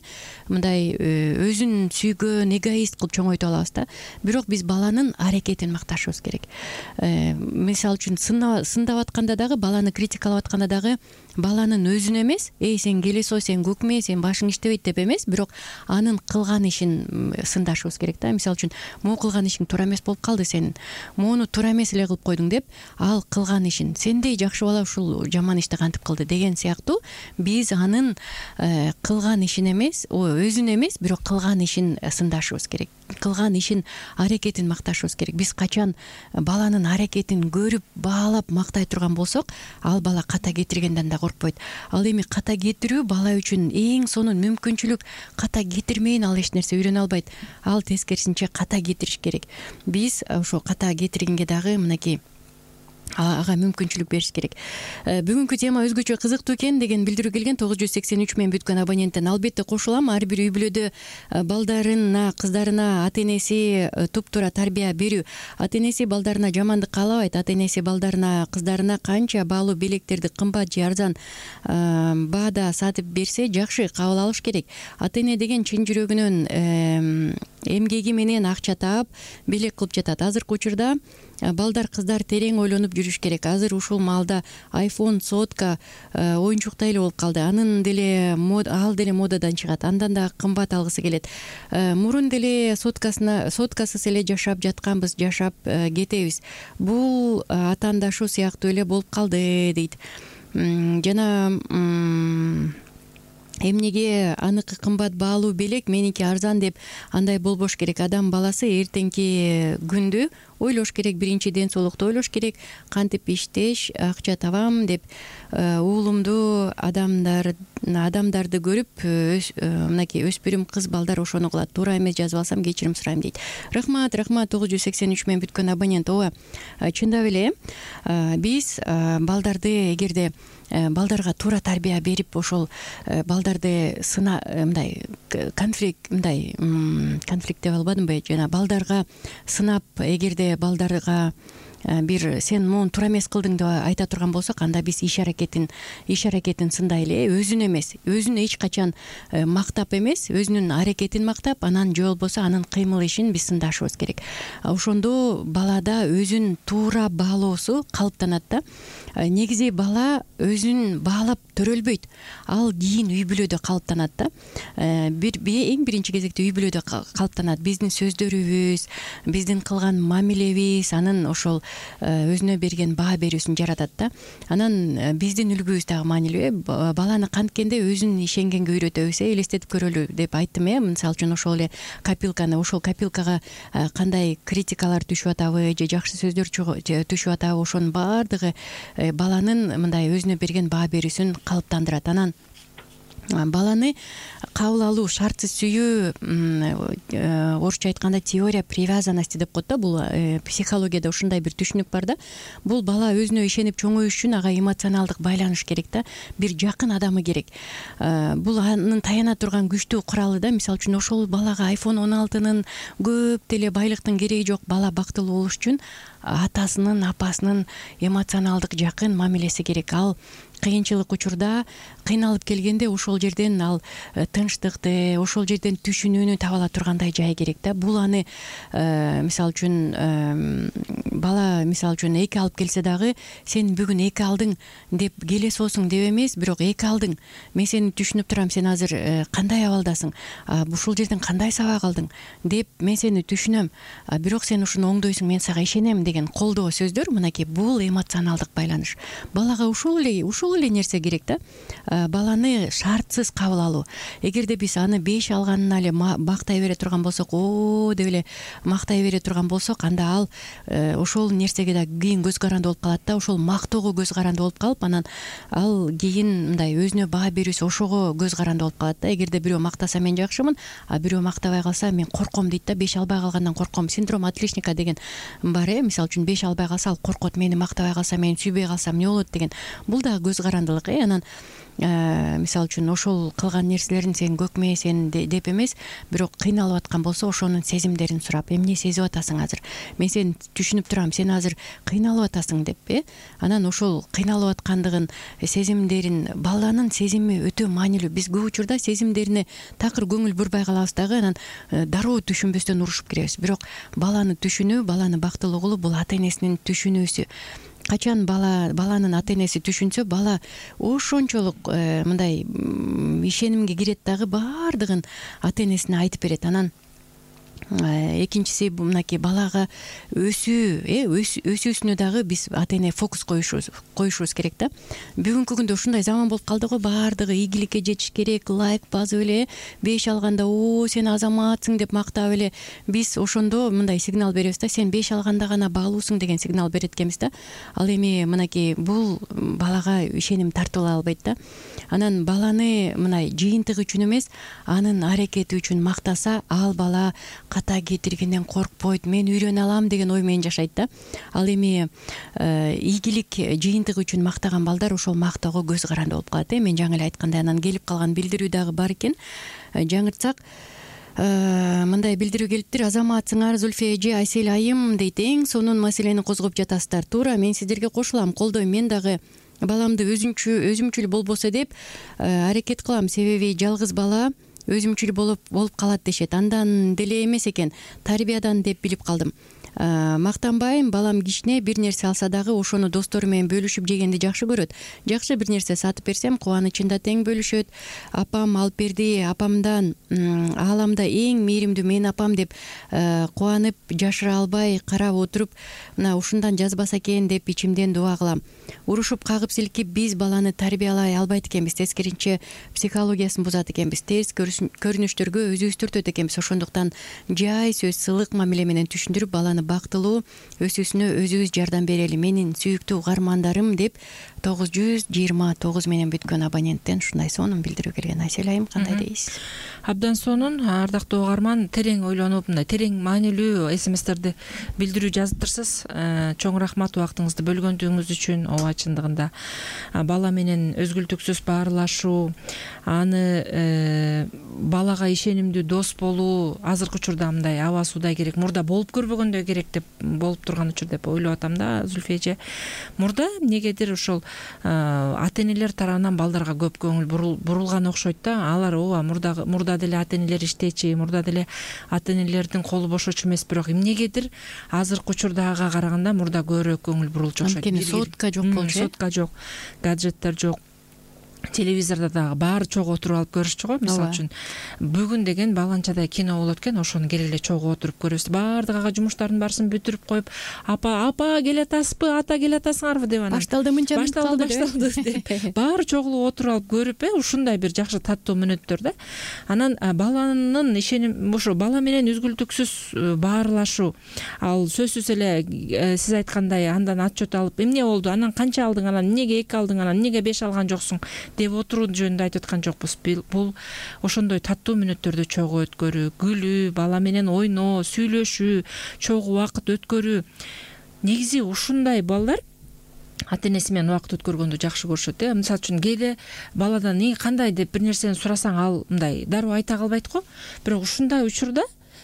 мындай өзүн сүйгөн эгоист кылып чоңойто алабыз да. Бирок биз баланын аракетин макташыбыз керек. Мисалы үчүн сындап атканда дагы, баланы критикалап атканда дагы, баланын өзүн эмес, эй сен келесой, сен көкмө, сен башың иштебейт деп эмес, бирок анын кылган ишин сындашыбыз керек да. Мисалы үчүн, могу кылган ишиң туура эмес болуп калды, сен мону туура эмес эле кылып койдуң деп, ал кылган ишин, сендей жакшы бала ушул жаман ишти кантип кылды деген сыяктуу, биз анын кылган ишин эмес, өзүн эмес, бирок кылган ишин сындашыбыз керек. Кылган ишин аракетин макташыбыз керек. Биз качан баланын аракетин көрүп, баалап мактай турган болсок, ал бала ката кетиргенден да коркпойт. Ал эми ката кетирүү бала үчүн эң сонун мүмкүнчүлүк. Ката кетирмейин ал эч нерсе үйрөнө албайт. Ал тескерисинче ката кетириш керек. Биз ошо ката кетиргенге дагы мынакей ага мүмкүнчүлүк бериш керек. Бүгүнкү тема өзгөчө кызыктуу экен деген билдирүү келген. тогуз жүз сексен үч менен бүткөн абоненттен албетте кошулам. Ар бир үй бүлөдө балдарына, кыздарына ата энеси туптуура тарбия берүү, ата энеси балдарына жамандык каалабайт, ата энеси балдарына, кыздарына канча баалуу белектерди кымбат же арзан баада сатып берсе, жакшы кабыл алыш керек. Ата эне деген чын жүрөгүнөн эмгеги менен акча таап белек кылып жатат. Азыркы учурда балдар кыздар терең ойлонуп жүрүш керек. Азыр ушул маалда айфон, сотка оюнчуктай эле болуп калды. Анын деле ал деле модадан чыгат. Андан да кымбат алгысы келет. Мурун деле соткасына соткасыз эле жашап жатканбыз, жашап кетебиз. Бул атаандашуу сыяктуу эле болуп калды дейт. Жана эмнеге аныкы кымбат баалуу белек, меники арзан деп андай болбош керек. Адам баласы эртеңки күндү ойлош керек. Биринчи ден соолукту ойлош керек. Кантип иштеш, акча табам деп уулумду адамдар адамдарды көрүп мынакей өспүрүм кыз балдар ошону кылат. Туура эмес жазып алсам кечирим сурайм дейт. Рахмат, рахмат. тогуз жүз сексен үч менен бүткөн абонент. ооба, чындап эле биз балдарды эгерде балдарга туура тарбия берип, ошол балдарды сына мындай конфликт мындай конфликт деп албадымбы, жана балдарга сынап, эгерде балдарга бир сен могу туура эмес кылдың деп айта турган болсок, анда биз иш аракетин иш аракетин сындайлы, өзүн эмес, өзүн эч качан мактап эмес, өзүнүн аракетин мактап, анан же болбосо анын кыймыл ишин биз сындашыбыз керек. Ошондо балада өзүн туура баалоосу калыптанат да. Негизи бала өзүн баалап төрөлбөйт, ал кийин үй бүлөдө калыптанат да. Бир эң биринчи кезекте үй бүлөдө калыптанат. Биздин сөздөрүбүз, биздин кылган мамилебиз анын ошол өзүнө берген баа берүүсүн жаратат да. Анан биздин үлгүбүз дагы маанилүү. Баланы канткенде өзүн ишенгенге үйрөтөбүз. Элестетип көрөлү деп айттым э. Мисалы үчүн ошол эле копилканы, ошол копилкага кандай критикалар түшүп атабы же жакшы сөздөр түшүп атабы, ошонун баардыгы баланын мындай өзүнө берген баа берүүсүн калыптандырат. Анан баланы кабыл алуу, шартсыз сүйүү, орусча айтканда теория привязанности деп коет да. Бул психологияда ушундай бир түшүнүк бар да. Бул бала өзүнө ишенип чоңоюш үчүн ага эмоционалдык байланыш керек да. Бир жакын адамы керек. Бул анын таяна турган күчтүү куралы да. Мисалы үчүн ошол балага айфон он алтынын көп деле байлыктын кереги жок. Бала бактылуу болуш үчүн атасынын, апасынын эмоционалдык жакын мамилеси керек. Ал кыйынчылык учурда, кыйналып келгенде ошол жерден ал тынчтыкты, ошол жерден түшүнүүнү таба ала тургандай жай керек да. Бул аны мисалы үчүн бала мисалы үчүн эки алып келсе дагы, сен бүгүн эки алдың деп келесиосуң деп эмес, бирок эки алдың, мен сени түшүнүп турам, сен азыр кандай абалдасың, ушул жерден кандай сабак алдың деп мен сени түшүнөм, бирок сен ушуну оңдойсуң, мен сага ишенем деген колдоо сөздөр, мынакей бул эмоционалдык байланыш. Балага ушул эле ушул эле нерсе керек да. Баланы шартсыз кабыл алуу. Эгерде биз аны беш алганына эле мактай бере турган болсок, о деп эле мактай бере турган болсок, анда ал ошол нерсеге да кийин көз каранды болуп калат да. Ошол мактоого көз каранды болуп калып, анан ал кийин мындай өзүнө баа берүүсү ошого көз каранды болуп калат да. Эгерде бирөө мактаса мен жакшымын, а бирөө мактабай калса мен корком дейт да. Беш албай калгандан корком. Синдром отличника деген бар э. Мисалы үчүн беш албай калса ал коркот, мени мактабай калса, мени сүйбөй калсам эмне болот деген. Бул дагы көз карандылык э. Анан мисалы үчүн ошол кылган нерселерин сен көкме сен деп эмес, бирок кыйналып аткан болсо ошонун сезимдерин сурап, эмне сезип атасың азыр, мен сени түшүнүп турам, сен азыр кыйналып атасың деп э. Анан ошол кыйналып аткандыгын, сезимдерин, баланын сезими өтө маанилүү. Биз көп учурда сезимдерине такыр көңүл бурбай калабыз дагы, анан дароо түшүнбөстөн урушуп киребиз. Бирок баланы түшүнүү, баланы бактылуу кылуу бул ата энесинин түшүнүүсү. Качан бала баланын ата энеси түшүнсө, бала ошончолук мындай ишенимге кирет дагы, баардыгын ата энесине айтып берет. Анан экинчиси мынакей балага өсүү э өсүүсүнө дагы биз ата эне фокус коюшубуз коюшубуз керек да. Бүгүнкү күндө ушундай заман болуп калды го, баардыгы ийгиликке жетиш керек, лайк басып эле беш алганда о сен азаматсың деп мактап эле биз ошондо мындай сигнал беребиз да, сен беш алганда гана баалуусуң деген сигнал берет экенбиз да. Ал эми мынакей бул балага ишеним тартыла албайт да. Анан баланы мындай жыйынтык үчүн эмес, анын аракети үчүн мактаса, ал бала ката кетиргенден коркпойт, мен үйрөнө алам деген ой менен жашайт да. Ал эми ийгилик жыйынтык үчүн мактаган балдар ошол мактоого көз каранды болуп калат э. Мен жаңы эле айткандай, анан келип калган билдирүү дагы бар экен. Жаңыртсак, мындай билдирүү келиптир. Азаматсыңар Зульфия эже, Айсел айым дейт. Эң сонун маселени козгоп жатасыздар. Туура, мен сиздерге кошулам, колдойм. Мен дагы баламды өзүмчү өзүмчүл болбосо деп аракет кылам. Себеби жалгыз бала өзүмчүл болуп болуп калат дешет. Андан деле эмес экен, тарбиядан деп билип калдым. мактанбайм, балам кичине бир нерсе алса дагы ошону достору менен бөлүшүп жегенди жакшы көрөт. Жакшы бир нерсе сатып берсем кубанычында тең бөлүшөт. Апам алып берди, апамдан ааламда эң мээримдүү мен апам деп кубанып жашыра албай карап отуруп, мына ушундан жазбаса экен деп ичимден дуа кылам. Урушуп кагып силкип биз баланы тарбиялай албайт экенбиз, тескерисинче психологиясын бузат экенбиз, терс көрүнүштөргө өзүбүз түртөт экенбиз. Ошондуктан жай сөз, сылык мамиле менен түшүндүрүп баланы бактылуу өсүүсүнө өзүбүз жардам берели. Менин сүйүктүү угармандарым деп тогуз жүз жыйырма тогуз менен бүткөн абоненттен ушундай сонун билдирүү келген. Айсель айым, кандай дейсиз? Абдан сонун, ардактуу угарман, терең ойлонуп, мындай терең маанилүү смстерди билдирүү жазыптырсыз. Чоң рахмат убактыңызды бөлгөндүгүңүз үчүн. Ооба, чындыгында бала менен өзгүлтүксүз баарлашуу, аны балага ишенимдүү дос болуу азыркы учурда мындай аба суудай керек, мурда болуп көрбөгөндөй керек деп болуп турган учур деп ойлоп атам да, Зүлфия эже. Мурда эмнегедир ошол ата энелер тарабынан балдарга көп көңүл бурулган окшойт да. Алар ооба мурда мурда деле ата энелер иштечи, мурда деле ата энелердин колу бошочу эмес, бирок эмнегедир азыркы учурдагыга караганда мурда көбүрөөк көңүл бурулчу окшойт. Анткени сотка жок болчу, сотка жок, гаджеттер жок. Телевизордо дагы баары чогуу отуруп алып көрүшчү го. Мисалы үчүн бүгүн деген баланчадай кино болот экен, ошону келе эле чогуу отуруп көрөбүз. Баардык ага жумуштардын баарысын бүтүрүп коюп, апа апа келе атасызбы, ата келе атасыңарбы деп анан башталды мынча башталды башталды деп баары чогуу отуруп алып көрүп, э ушундай бир жакшы таттуу мүнөттөр да. Анан баланын ишеним ошо бала менен үзгүлтүксүз баарлашуу, ал сөзсүз эле сиз айткандай андан отчет алып, эмне болду, анан канча алдың, анан эмнеге эки алдың, анан эмнеге беш алган жоксуң деп отуруу жөнүндө айтып аткан жокпуз. Бул ошондой таттуу мүнөттөрдү чогуу өткөрүү, күлүү, бала менен ойноо, сүйлөшүү, чогуу убакыт өткөрүү. Негизи ушундай балдар ата энеси менен убакыт өткөргөндү жакшы көрүшөт. Э мисалы үчүн кээде баладан кандай деп бир нерсени сурасаң, ал мындай дароо айта калбайт го. Бирок ушундай учурда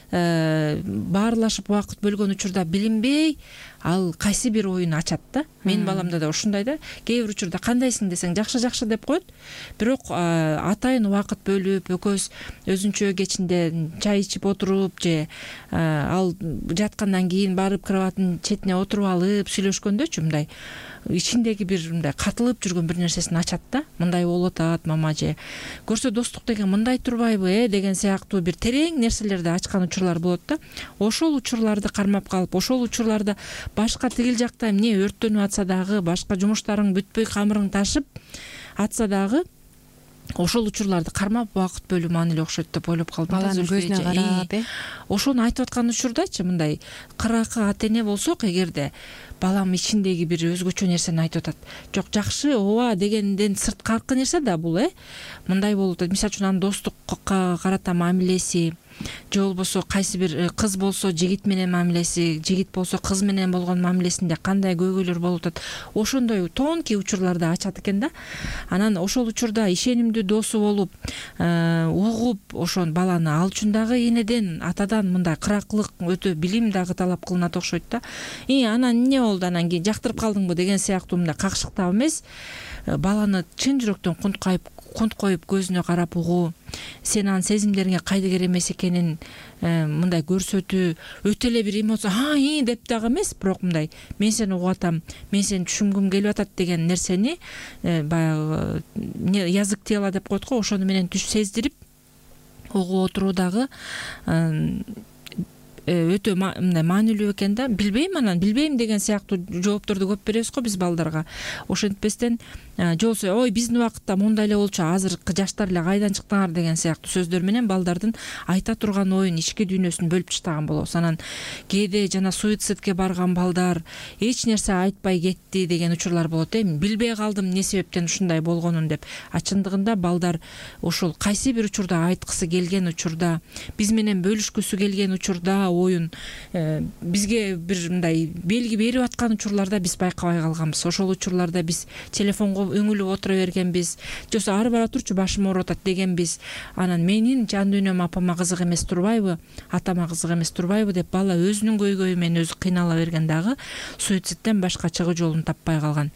баарлашып убакыт бөлгөн учурда билинбей ал кайсы бир оюн ачат да. Менин баламда да ушундай да. Кээ бир учурда кандайсың десең жакшы жакшы деп коет. Бирок атайын убакыт бөлүп, экөөбүз өзүнчө кечинде чай ичип отуруп же ал жаткандан кийин барып кроваттын четине отуруп алып сүйлөшкөндөчү мындай ичиндеги бир мындай катылып жүргөн бир нерсесин ачат да. Мындай болуп атат мама, же көрсө достук деген мындай турбайбы э деген сыяктуу бир терең нерселерди ачкан учурлар болот да. Ошол учурларды кармап калып, ошол учурларда башка тигил жакта эмне өрттөнүп атса дагы, башка жумуштарың бүтпөй камырың ташып атса дагы, ошол учурларды кармап убакыт бөлүү маанилүү окшойт деп ойлоп калдым. Баланын көзүнө карап, э ошону айтып аткан учурдачы мындай кыракы ата эне болсок, эгерде балам ичиндеги бир өзгөчө нерсени айтып атат, жок жакшы ооба дегенден сырткаркы нерсе да бул, э мындай болуп атат. Мисалы үчүн анын достукка карата мамилеси, же болбосо кайсы бир кыз болсо жигит менен мамилеси, жигит болсо кыз менен болгон мамилесинде кандай көйгөйлөр болуп атат, ошондой тонкий учурларды ачат экен да. Анан ошол учурда ишенимдүү досу болуп, угуп, ошон баланы ал үчүн дагы энеден, атадан мындай кыракылык, өтө билим дагы талап кылынат окшойт да. И анан эмне болду, анан кийин жактырып калдыңбы деген сыяктуу мындай какшыктап эмес, баланы чын жүрөктөн кунт коюп кунт коюп көзүнө карап угуу, сен анын сезимдериңе кайдыгер эмес экенин мындай көрсөтүү, өтө эле бир эмоция а и деп дагы эмес, бирок мындай мен сени угуп атам, мен сени түшүнгүм келип атат деген нерсени баягы язык тела деп коет го, ошону менен түш сездирип угуп отуруу дагы өтө мындай маанилүү экен да. Билбейм, анан билбейм деген сыяктуу жоопторду көп беребиз го биз балдарга. Ошентпестен же болсо ой биздин убакытта мондай эле болчу, азыркы жаштар эле кайдан чыктыңар деген сыяктуу сөздөр менен балдардын айта турган оюн, ички дүйнөсүн бөлүп таштаган болобуз. Анан кээде жана суицидке барган балдар эч нерсе айтпай кетти деген учурлар болот, э билбей калдым эмне себептен ушундай болгонун деп. А чындыгында балдар ошол кайсы бир учурда айткысы келген учурда, биз менен бөлүшкүсү келген учурда оюн бизге бир мындай белги берип аткан учурларда биз байкабай калганбыз. Ошол учурларда биз телефонго өңүлүп отура бергенбиз, же болбосо ары бара турчу башым ооруп атат дегенбиз. Анан менин жан дүйнөм апама кызык эмес турбайбы, атама кызык эмес турбайбы деп бала өзүнүн көйгөйү менен өзү кыйнала берген дагы суицидтен башка чыгуу жолун таппай калган.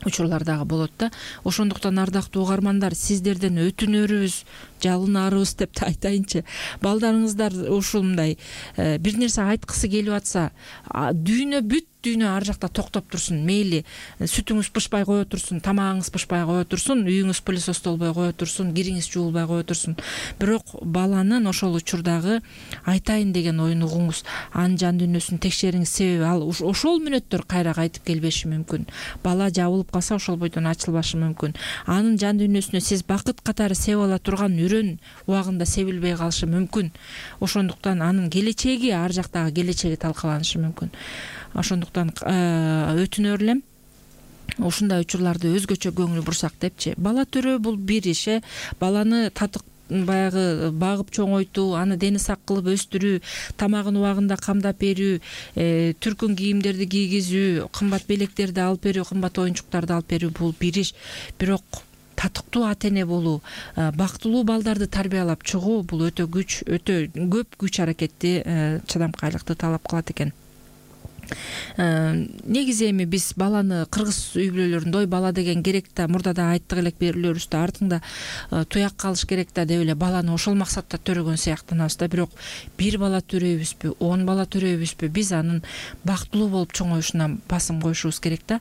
учурлар дагы болот да. Ошондуктан ардактуу угармандар, сиздерден өтүнөрүбүз, жалынарыбыз деп да айтайынчы. Балдарыңыздар ушул мындай бир нерсе айткысы келип атса, дүйнө бүт дүйнө ар жакта токтоп турсун. Мейли сүтүңүз пышпай кое турсун, тамагыңыз пышпай кое турсун, үйүңүз пылесостолбой кое турсун, кириңиз жуулбай кое турсун. Бирок баланын ошол учурдагы айтайын деген оюн угуңуз, анын жан дүйнөсүн текшериңиз. Себеби ал ошол мүнөттөр кайра кайтып келбеши мүмкүн. Бала жабылып калса ошол бойдон ачылбашы мүмкүн. Анын жан дүйнөсүнө сиз бакыт катары себип ала турган үрөн убагында себилбей калышы мүмкүн. Ошондуктан анын келечеги, ар жактагы келечеги талкаланышы мүмкүн. Ошондуктан өтүнөр элем, ушундай учурларды өзгөчө көңүл бурсак депчи. Бала төрөө бул бир иш. Баланы татык баягы багып чоңойтуу, аны дени сак кылып өстүрүү, тамагын убагында камдап берүү, түркүн кийимдерди кийгизүү, кымбат белектерди алып берүү, кымбат оюнчуктарды алып берүү бул бир иш. Бирок татыктуу ата-эне болуу, бактылуу балдарды тарбиялап чыгуу бул өтө күч, өтө көп күч аракетти, чыдамкайлыкты талап кылат экен. Негизи эми биз баланы кыргыз үй бүлөлөрүндө ой бала деген керек да, мурда да айттык элек берүүлөрүбүздө, артыңда туяк калыш керек да деп эле баланы ошол максатта төрөгөн сыяктанабыз да. Бирок бир бала төрөйбүзбү, он бала төрөйбүзбү, биз анын бактылуу болуп чоңоюшуна басым коюшубуз керек да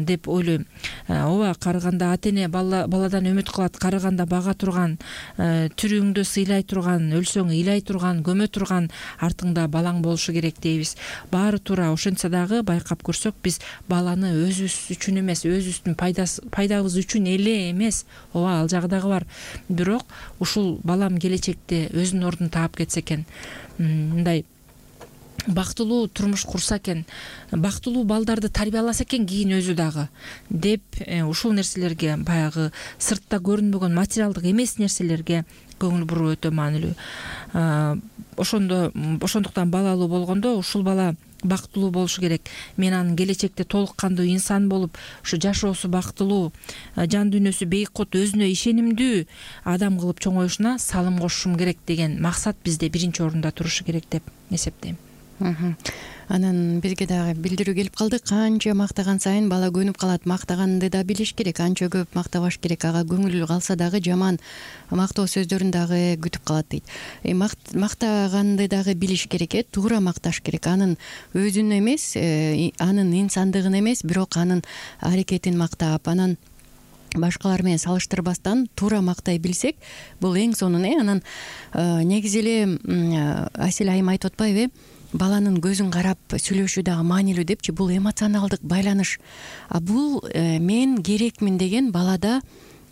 деп ойлойм. Ооба, карыганда ата-эне баладан үмүт кылат, карыганда бага турган, түрүңдү сыйлай турган, өлсөң ыйлай турган, көмө турган артыңда балаң болушу керек дейбиз. Баары ошентсе дагы байкап көрсөк, биз баланы өзүбүз үчүн эмес, өзүбүздүн пайдабыз үчүн эле эмес, ооба ал жагы дагы бар. Бирок ушул балам келечекте өзүнүн ордун таап кетсе экен, мындай бактылуу турмуш курса экен, бактылуу балдарды тарбияласа экен кийин өзү дагы деп, ушул нерселерге, баягы сыртта көрүнбөгөн материалдык эмес нерселерге көңүл буруу өтө маанилүү. Ошондо ошондуктан балалуу болгондо ушул бала бактылуу болушу керек. Мен анын келечекте толук кандуу инсан болуп, ушу жашоосу бактылуу, жан дүйнөсү бейкут, өзүнө ишенимдүү адам кылып чоңоюшуна салым кошушум керек деген максат бизде биринчи орунда турушу керек деп эсептейм. Анан бизге дагы билдирүү келип калды. Канча мактаган сайын бала көнүп калат. Мактаганды да билиш керек, анча көп мактабаш керек. Ага көңүл калса дагы жаман мактоо сөздөрүн дагы күтүп калат дейт. Мактаганды дагы билиш керек, э туура макташ керек. Анын өзүн эмес, анын инсандыгын эмес, бирок анын аракетин мактап, анан башкалар менен салыштырбастан туура мактай билсек, бул эң сонун. э Анан негизи эле Асель айым айтып атпайбы, баланын көзүн карап сүйлөшүү дагы маанилүү депчи. Бул эмоционалдык байланыш. А бул мен керекмин деген балада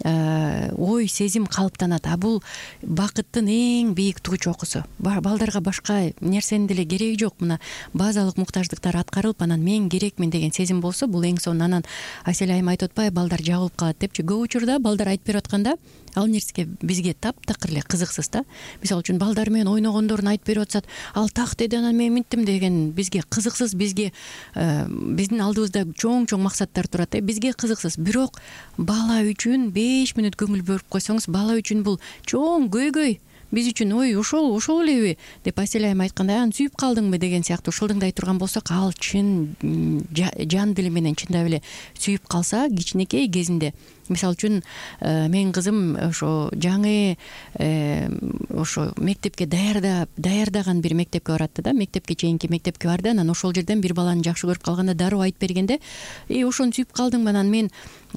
ой, сезим калыптанат. А бул бакыттын эң бийик тугу чокусу. Балдарга башка нерсенин деле кереги жок. Мына базалык муктаждыктар аткарылып, анан мен керекмин деген сезим болсо, бул эң сонун. Анан Асель айым айтып атпайбы, балдар жабылып калат депчи. Көп учурда балдар айтып берип атканда, ал нерсеге бизге таптакыр эле кызыксыз да. Мисалы үчүн балдар менен ойногондорун айтып берип атсат, ал так деди, анан мен минттим деген бизге кызыксыз, бизге биздин алдыбызда чоң-чоң максаттар турат. Бизге кызыксыз. Бирок бала үчүн беш мүнөт көңүл бөлүп койсоңуз, бала үчүн бул чоң көйгөй. Биз үчүн ой ошол ошол элеби деп Асель айым айткандай, аны сүйүп калдыңбы деген сыяктуу шылдыңдай турган болсок, ал чын жан дили менен чындап эле сүйүп калса кичинекей кезинде. Мисалы үчүн менин кызым ошо жаңы ошо мектепке даярдап даярдаган бир мектепке баратты да, мектепке чейинки мектепке барды. Анан ошол жерден бир баланы жакшы көрүп калганда дароо айтып бергенде, э ошону сүйүп калдыңбы, анан мен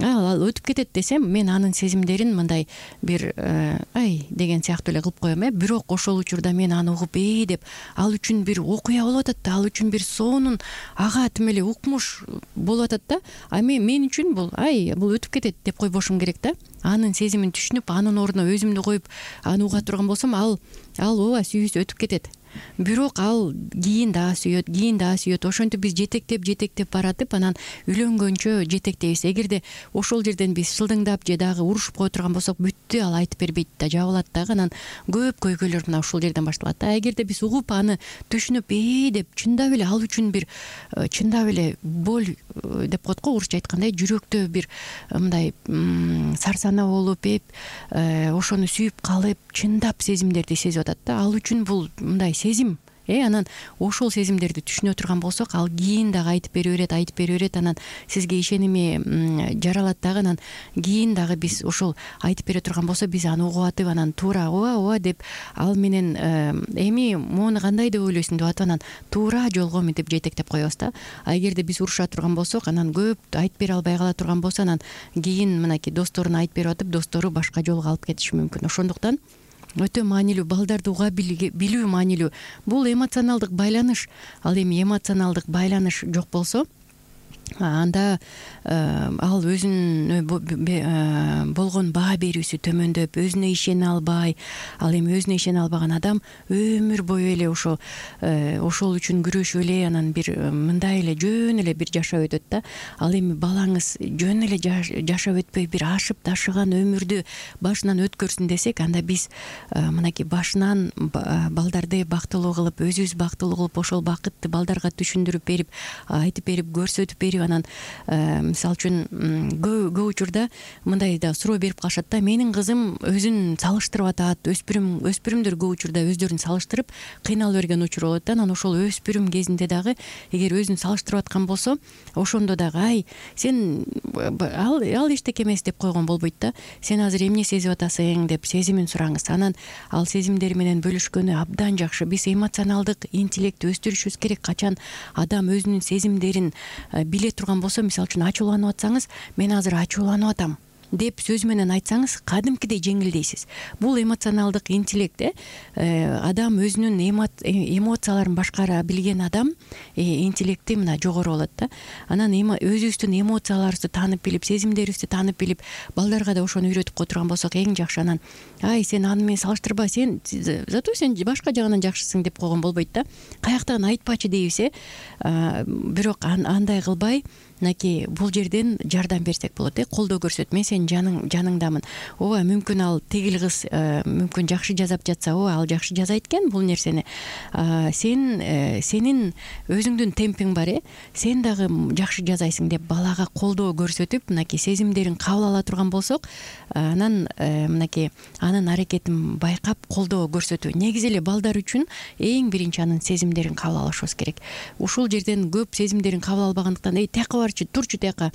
ал өтүп кетет десем, мен анын сезимдерин мындай бир ай деген сыяктуу эле кылып коем. э Бирок ошол учурда мен аны угуп, эй деп, ал үчүн бир окуя болуп атат да, ал үчүн бир сонун ага тим эле укмуш болуп атат да. А мен мен үчүн бул ай бул өтүп кетет деп койбошум керек да. Анын сезимин түшүнүп, анын ордуна өзүмдү коюп аны уга турган болсом, ал ал ооба сүйүүсү өтүп кетет. Бирок ал кийин дагы сүйөт, кийин дагы сүйөт. Ошентип биз жетектеп жетектеп баратып, анан үйлөнгөнчө жетектейбиз. Эгерде ошол жерден биз шылдыңдап же дагы урушуп кое турган болсок, бүттү, ал айтып бербейт да, жабылат дагы. Анан көп көйгөйлөр мына ушул жерден башталат да. Эгерде биз угуп аны түшүнүп, ээ деп чындап эле ал үчүн бир чындап эле боль деп коет го, орусча айткандай, жүрөктө бир мындай сарсанаа болуп, эп ошону сүйүп калып, чындап сезимдерди сезип атат да. Ал үчүн бул мындай сезим э анан ошол сезимдерди түшүнө турган болсок, ал кийин дагы айтып бере берет, айтып бере берет, анан сизге ишеними жаралат дагы, анан кийин дагы биз ошол айтып бере турган болсо, биз аны угуп атып, анан туура ооба ооба деп ал менен эми моуну кандай деп ойлойсуң деп атып, анан туура жолго мынтип жетектеп коебуз да. А эгерде биз уруша турган болсок, анан көп айтып бере албай кала турган болсо, анан кийин мынакей досторуна айтып берип атып, достору башка жолго алып кетиши мүмкүн. Ошондуктан өтө маанилүү, балдарды уга билүү маанилүү. Бул эмоционалдык байланыш. Ал эми эмоционалдык байланыш жок болсо, анда ал өзүнө болгон баа берүүсү төмөндөп, өзүнө ишене албай, ал эми өзүнө ишене албаган адам өмүр бою эле ошо ошол үчүн күрөшүп эле, анан бир мындай эле жөн эле бир жашап өтөт да. Ал эми балаңыз жөн эле жашап өтпөй бир ашып ташыган өмүрдү башынан өткөрсүн десек, анда биз мынакей башынан балдарды бактылуу кылып, өзүбүз бактылуу кылып, ошол бакытты балдарга түшүндүрүп берип, айтып берип, көрсөтүп берип, анан мисалы үчүн көп учурда мындай да суроо берип калышат да: менин кызым өзүн салыштырып атат. Өспүрүм өспүрүмдөр көп учурда өздөрүн салыштырып кыйналып берген учур болот да. Анан ошол өспүрүм кезинде дагы эгер өзүн салыштырып аткан болсо, ошондо дагы ай сен ал ал эчтеке эмес деп койгон болбойт да. Сен азыр эмне сезип атасың деп сезимин сураңыз. Анан ал сезимдери менен бөлүшкөнү абдан жакшы. Биз эмоционалдык интеллектти өстүрүшүбүз керек. Качан адам өзүнүн сезимдерин биле турган болсо, мисалы үчүн ачууланып атсаңыз, мен азыр ачууланып атам деп сөз менен айтсаңыз, кадимкидей жеңилдейсиз. Бул эмоционалдык интеллект. э адам өзүнүн эмоцияларын башкара билген адам интеллекти мына жогору болот да. Анан өзүбүздүн эмоцияларыбызды таанып билип, сезимдерибизди таанып билип, балдарга да ошону үйрөтүп кое турган болсок эң жакшы. Анан ай сен аны менен салыштырба, сен зато сен башка жагынан жакшысың деп койгон болбойт да. Каяктан айтпачы дейбиз, э бирок андай кылбай, мынакей бул жерден жардам берсек болот, э колдоо көрсөт. Мен сенин жаның жаныңдамын. Ооба, мүмкүн ал тигил кыз мүмкүн жакшы жазап жатса, ооба ал жакшы жазайт экен бул нерсени. Сен сенин өзүңдүн темпиң бар, э сен дагы жакшы жазайсың деп балага колдоо көрсөтүп, мынакей сезимдерин кабыл ала турган болсок, анан мынакей анын аракетин байкап колдоо көрсөтүү. Негизи эле балдар үчүн эң биринчи анын сезимдерин кабыл алышыбыз керек. Ушул жерден көп сезимдерин кабыл албагандыктан эй тияка барчы, турчу тияка,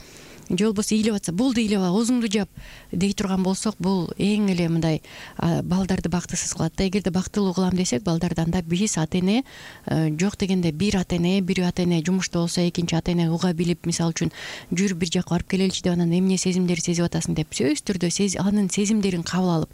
же болбосо ыйлап атса болду ыйлап ал, оозуңду жап дей турган болсок, бул эң эле мындай балдарды бактысыз кылат да. Эгерде бактылуу кылам десек, балдарды анда биз ата эне жок дегенде бир ата эне, бир ата эне жумушта болсо, экинчи ата эне уга билип, мисалы үчүн жүр бир жака барып келеличи деп, анан эмне сезимдер сезип атасың деп сөзсүз түрдө анын сезимдерин кабыл алып,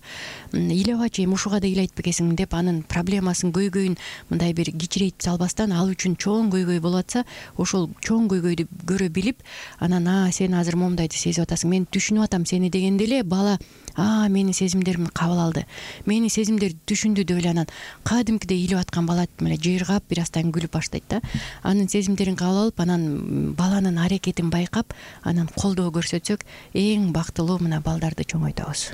ыйлабачы эми ушуга да ыйлайт бекесиң деп анын проблемасын, көйгөйүн мындай бир кичирейтип салбастан, ал үчүн чоң көйгөй болуп атса, ошол чоң көйгөйдү көрө билип, анан а сен азыр момундайды сезип атасың, мен түшүнүп атам сени дегенде эле бала а менин сезимдеримди кабыл алды, менин сезимдерди түшүндү деп эле анан кадимкидей ыйлап аткан бала эле жыйыргап бир аздан күлүп баштайт да. Анын сезимдерин кабыл алып, анан баланын аракетин байкап, анан колдоо көрсөтсөк, эң бактылуу мына балдарды чоңойтобуз.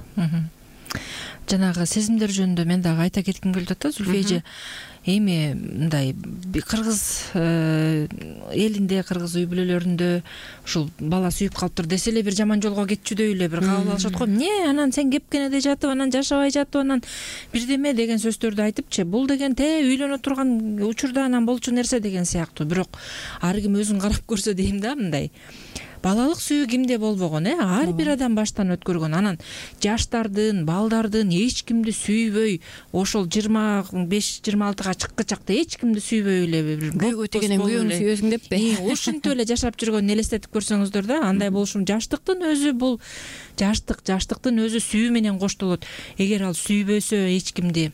Жанагы сезимдер жөнүндө мен дагы айта кетким келип атат да, Зүлфия эже. Эми мындай кыргыз элинде, кыргыз үй бүлөлөрүндө ушул бала сүйүп калыптыр десе эле бир жаман жолго кетчүдөй эле бир кабыл алышат го. Эмне анан сен кепкенеде жатып, анан жашабай жатып, анан бирдеме деген сөздөрдү айтыпчы, бул деген те үйлөнө турган учурда анан болчу нерсе деген сыяктуу. Бирок ар ким өзүн карап көрсө дейм да, мындай балалык сүйүү кимде болбогон, э ар бир адам баштан өткөргөн. Анан жаштардын, балдардын эч кимди сүйбөй, ошол жыйырма беш жыйырма алтыга чыккычакта эч кимди сүйбөй эле күйөөгө тегенен күйөөнү сүйөсүң деппи, ушинтип эле жашап жүргөнүн элестетип көрсөңүздөр да, андай болушун. Жаштыктын өзү бул жаштык, жаштыктын өзү сүйүү менен коштолот. Эгер ал сүйбөсө, эч кимди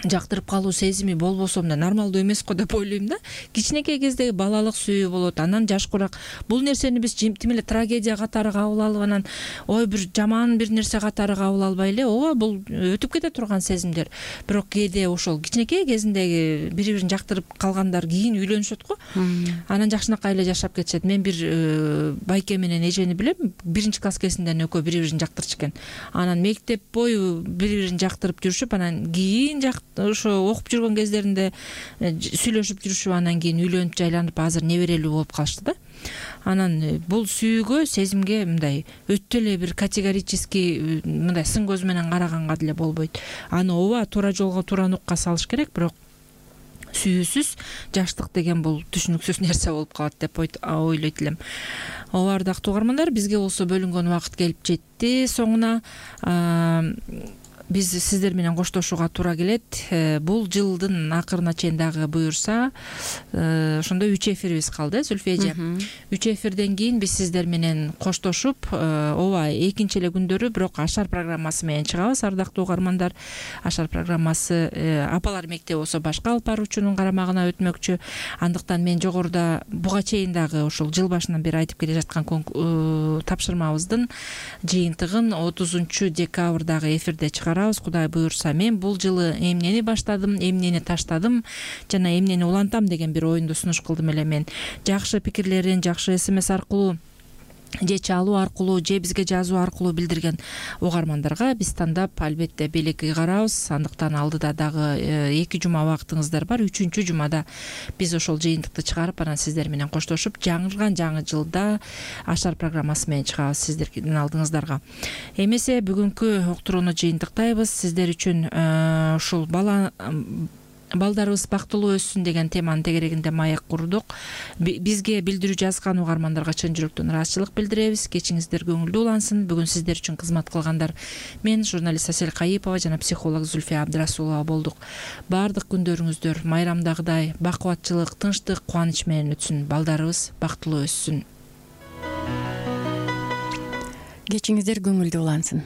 жактырып калуу сезими болбосо, мына нормалдуу эмес го деп ойлойм да. Кичинекей кездеги балалык сүйүү болот, анан жашкураак бул нерсени биз тим эле трагедия катары кабыл алып, анан ой бир жаман бир нерсе катары кабыл албай эле, ооба бул өтүп кете турган сезимдер. Бирок кээде ошол кичинекей кезиндеги бири бирин жактырып калгандар кийин үйлөнүшөт го, анан жакшынакай эле жашап кетишет. Мен бир байке менен эжени билем, биринчи класс кезинден экөө бири бирин жактырчу экен. Анан мектеп бою бири бирин жактырып жүрүшүп, анан кийин ошо окуп жүргөн кездеринде сүйлөшүп жүрүшүп, анан кийин үйлөнүп жайланып, азыр неберелүү болуп калышты да. Анан бул сүйүүгө, сезимге мындай өтө эле бир категорический мындай сын көз менен караганга деле болбойт. Аны ооба туура жолго, туура нукка салыш керек, бирок сүйүүсүз жаштык деген бул түшүнүксүз нерсе болуп калат деп ойлойт элем. Ооба, ардактуу угармандар, бизге болсо бөлүнгөн убакыт келип жетти соңуна. Биз сиздер менен коштошууга туура келет. Бул жылдын акырына чейин дагы буюрса ошондо үч эфирибиз калды, Зүлфия эже. үч эфирден кийин биз сиздер менен коштошуп, ооба, экинчи эле күндөрү бирок Ашар программасы менен чыгабыз, ардактуу угармандар. Ашар программасы апалар мектеби болсо башка алып баруучунун карамагына өтмөкчү. Андыктан мен жогоруда буга чейин дагы ушул жыл башынан бери айтып келе жаткан тапшырмабыздын жыйынтыгын отузунчу декабрдагы эфирде чыгарабыз. Кудай буюрса, мен бул жылы эмнени баштадым, эмнени таштадым жана эмнени улантам деген бир оюнду сунуш кылдым эле мен. Жакшы пикирлерин жакшы смс аркылуу же чалуу аркылуу же бизге жазуу аркылуу билдирген угармандарга биз тандап албетте белек ыйгарабыз. Андыктан алдыда дагы эки жума убактыңыздар бар. Үчүнчү жумада биз ошол жыйынтыкты чыгарып, анан сиздер менен коштошуп, жаңырган жаңы жылда Ашар программасы менен чыгабыз сиздердин алдыңыздарга. Эмесе бүгүнкү уктурууну жыйынтыктайбыз. Сиздер үчүн ушул бала балдарыбыз бактылуу өссүн деген теманын тегерегинде маек курдук. Бизге билдирүү жазган угармандарга чын жүрөктөн ыраазычылык билдиребиз. Кечиңиздер көңүлдүү улансын. Бүгүн сиздер үчүн кызмат кылгандар мен, журналист Асель Кайыпова жана психолог Зүлфия Абдрасулова болдук. Баардык күндөрүңүздөр майрамдагыдай бакубатчылык, тынчтык, кубаныч менен өтсүн. Балдарыбыз бактылуу өссүн. Кечиңиздер көңүлдүү улансын.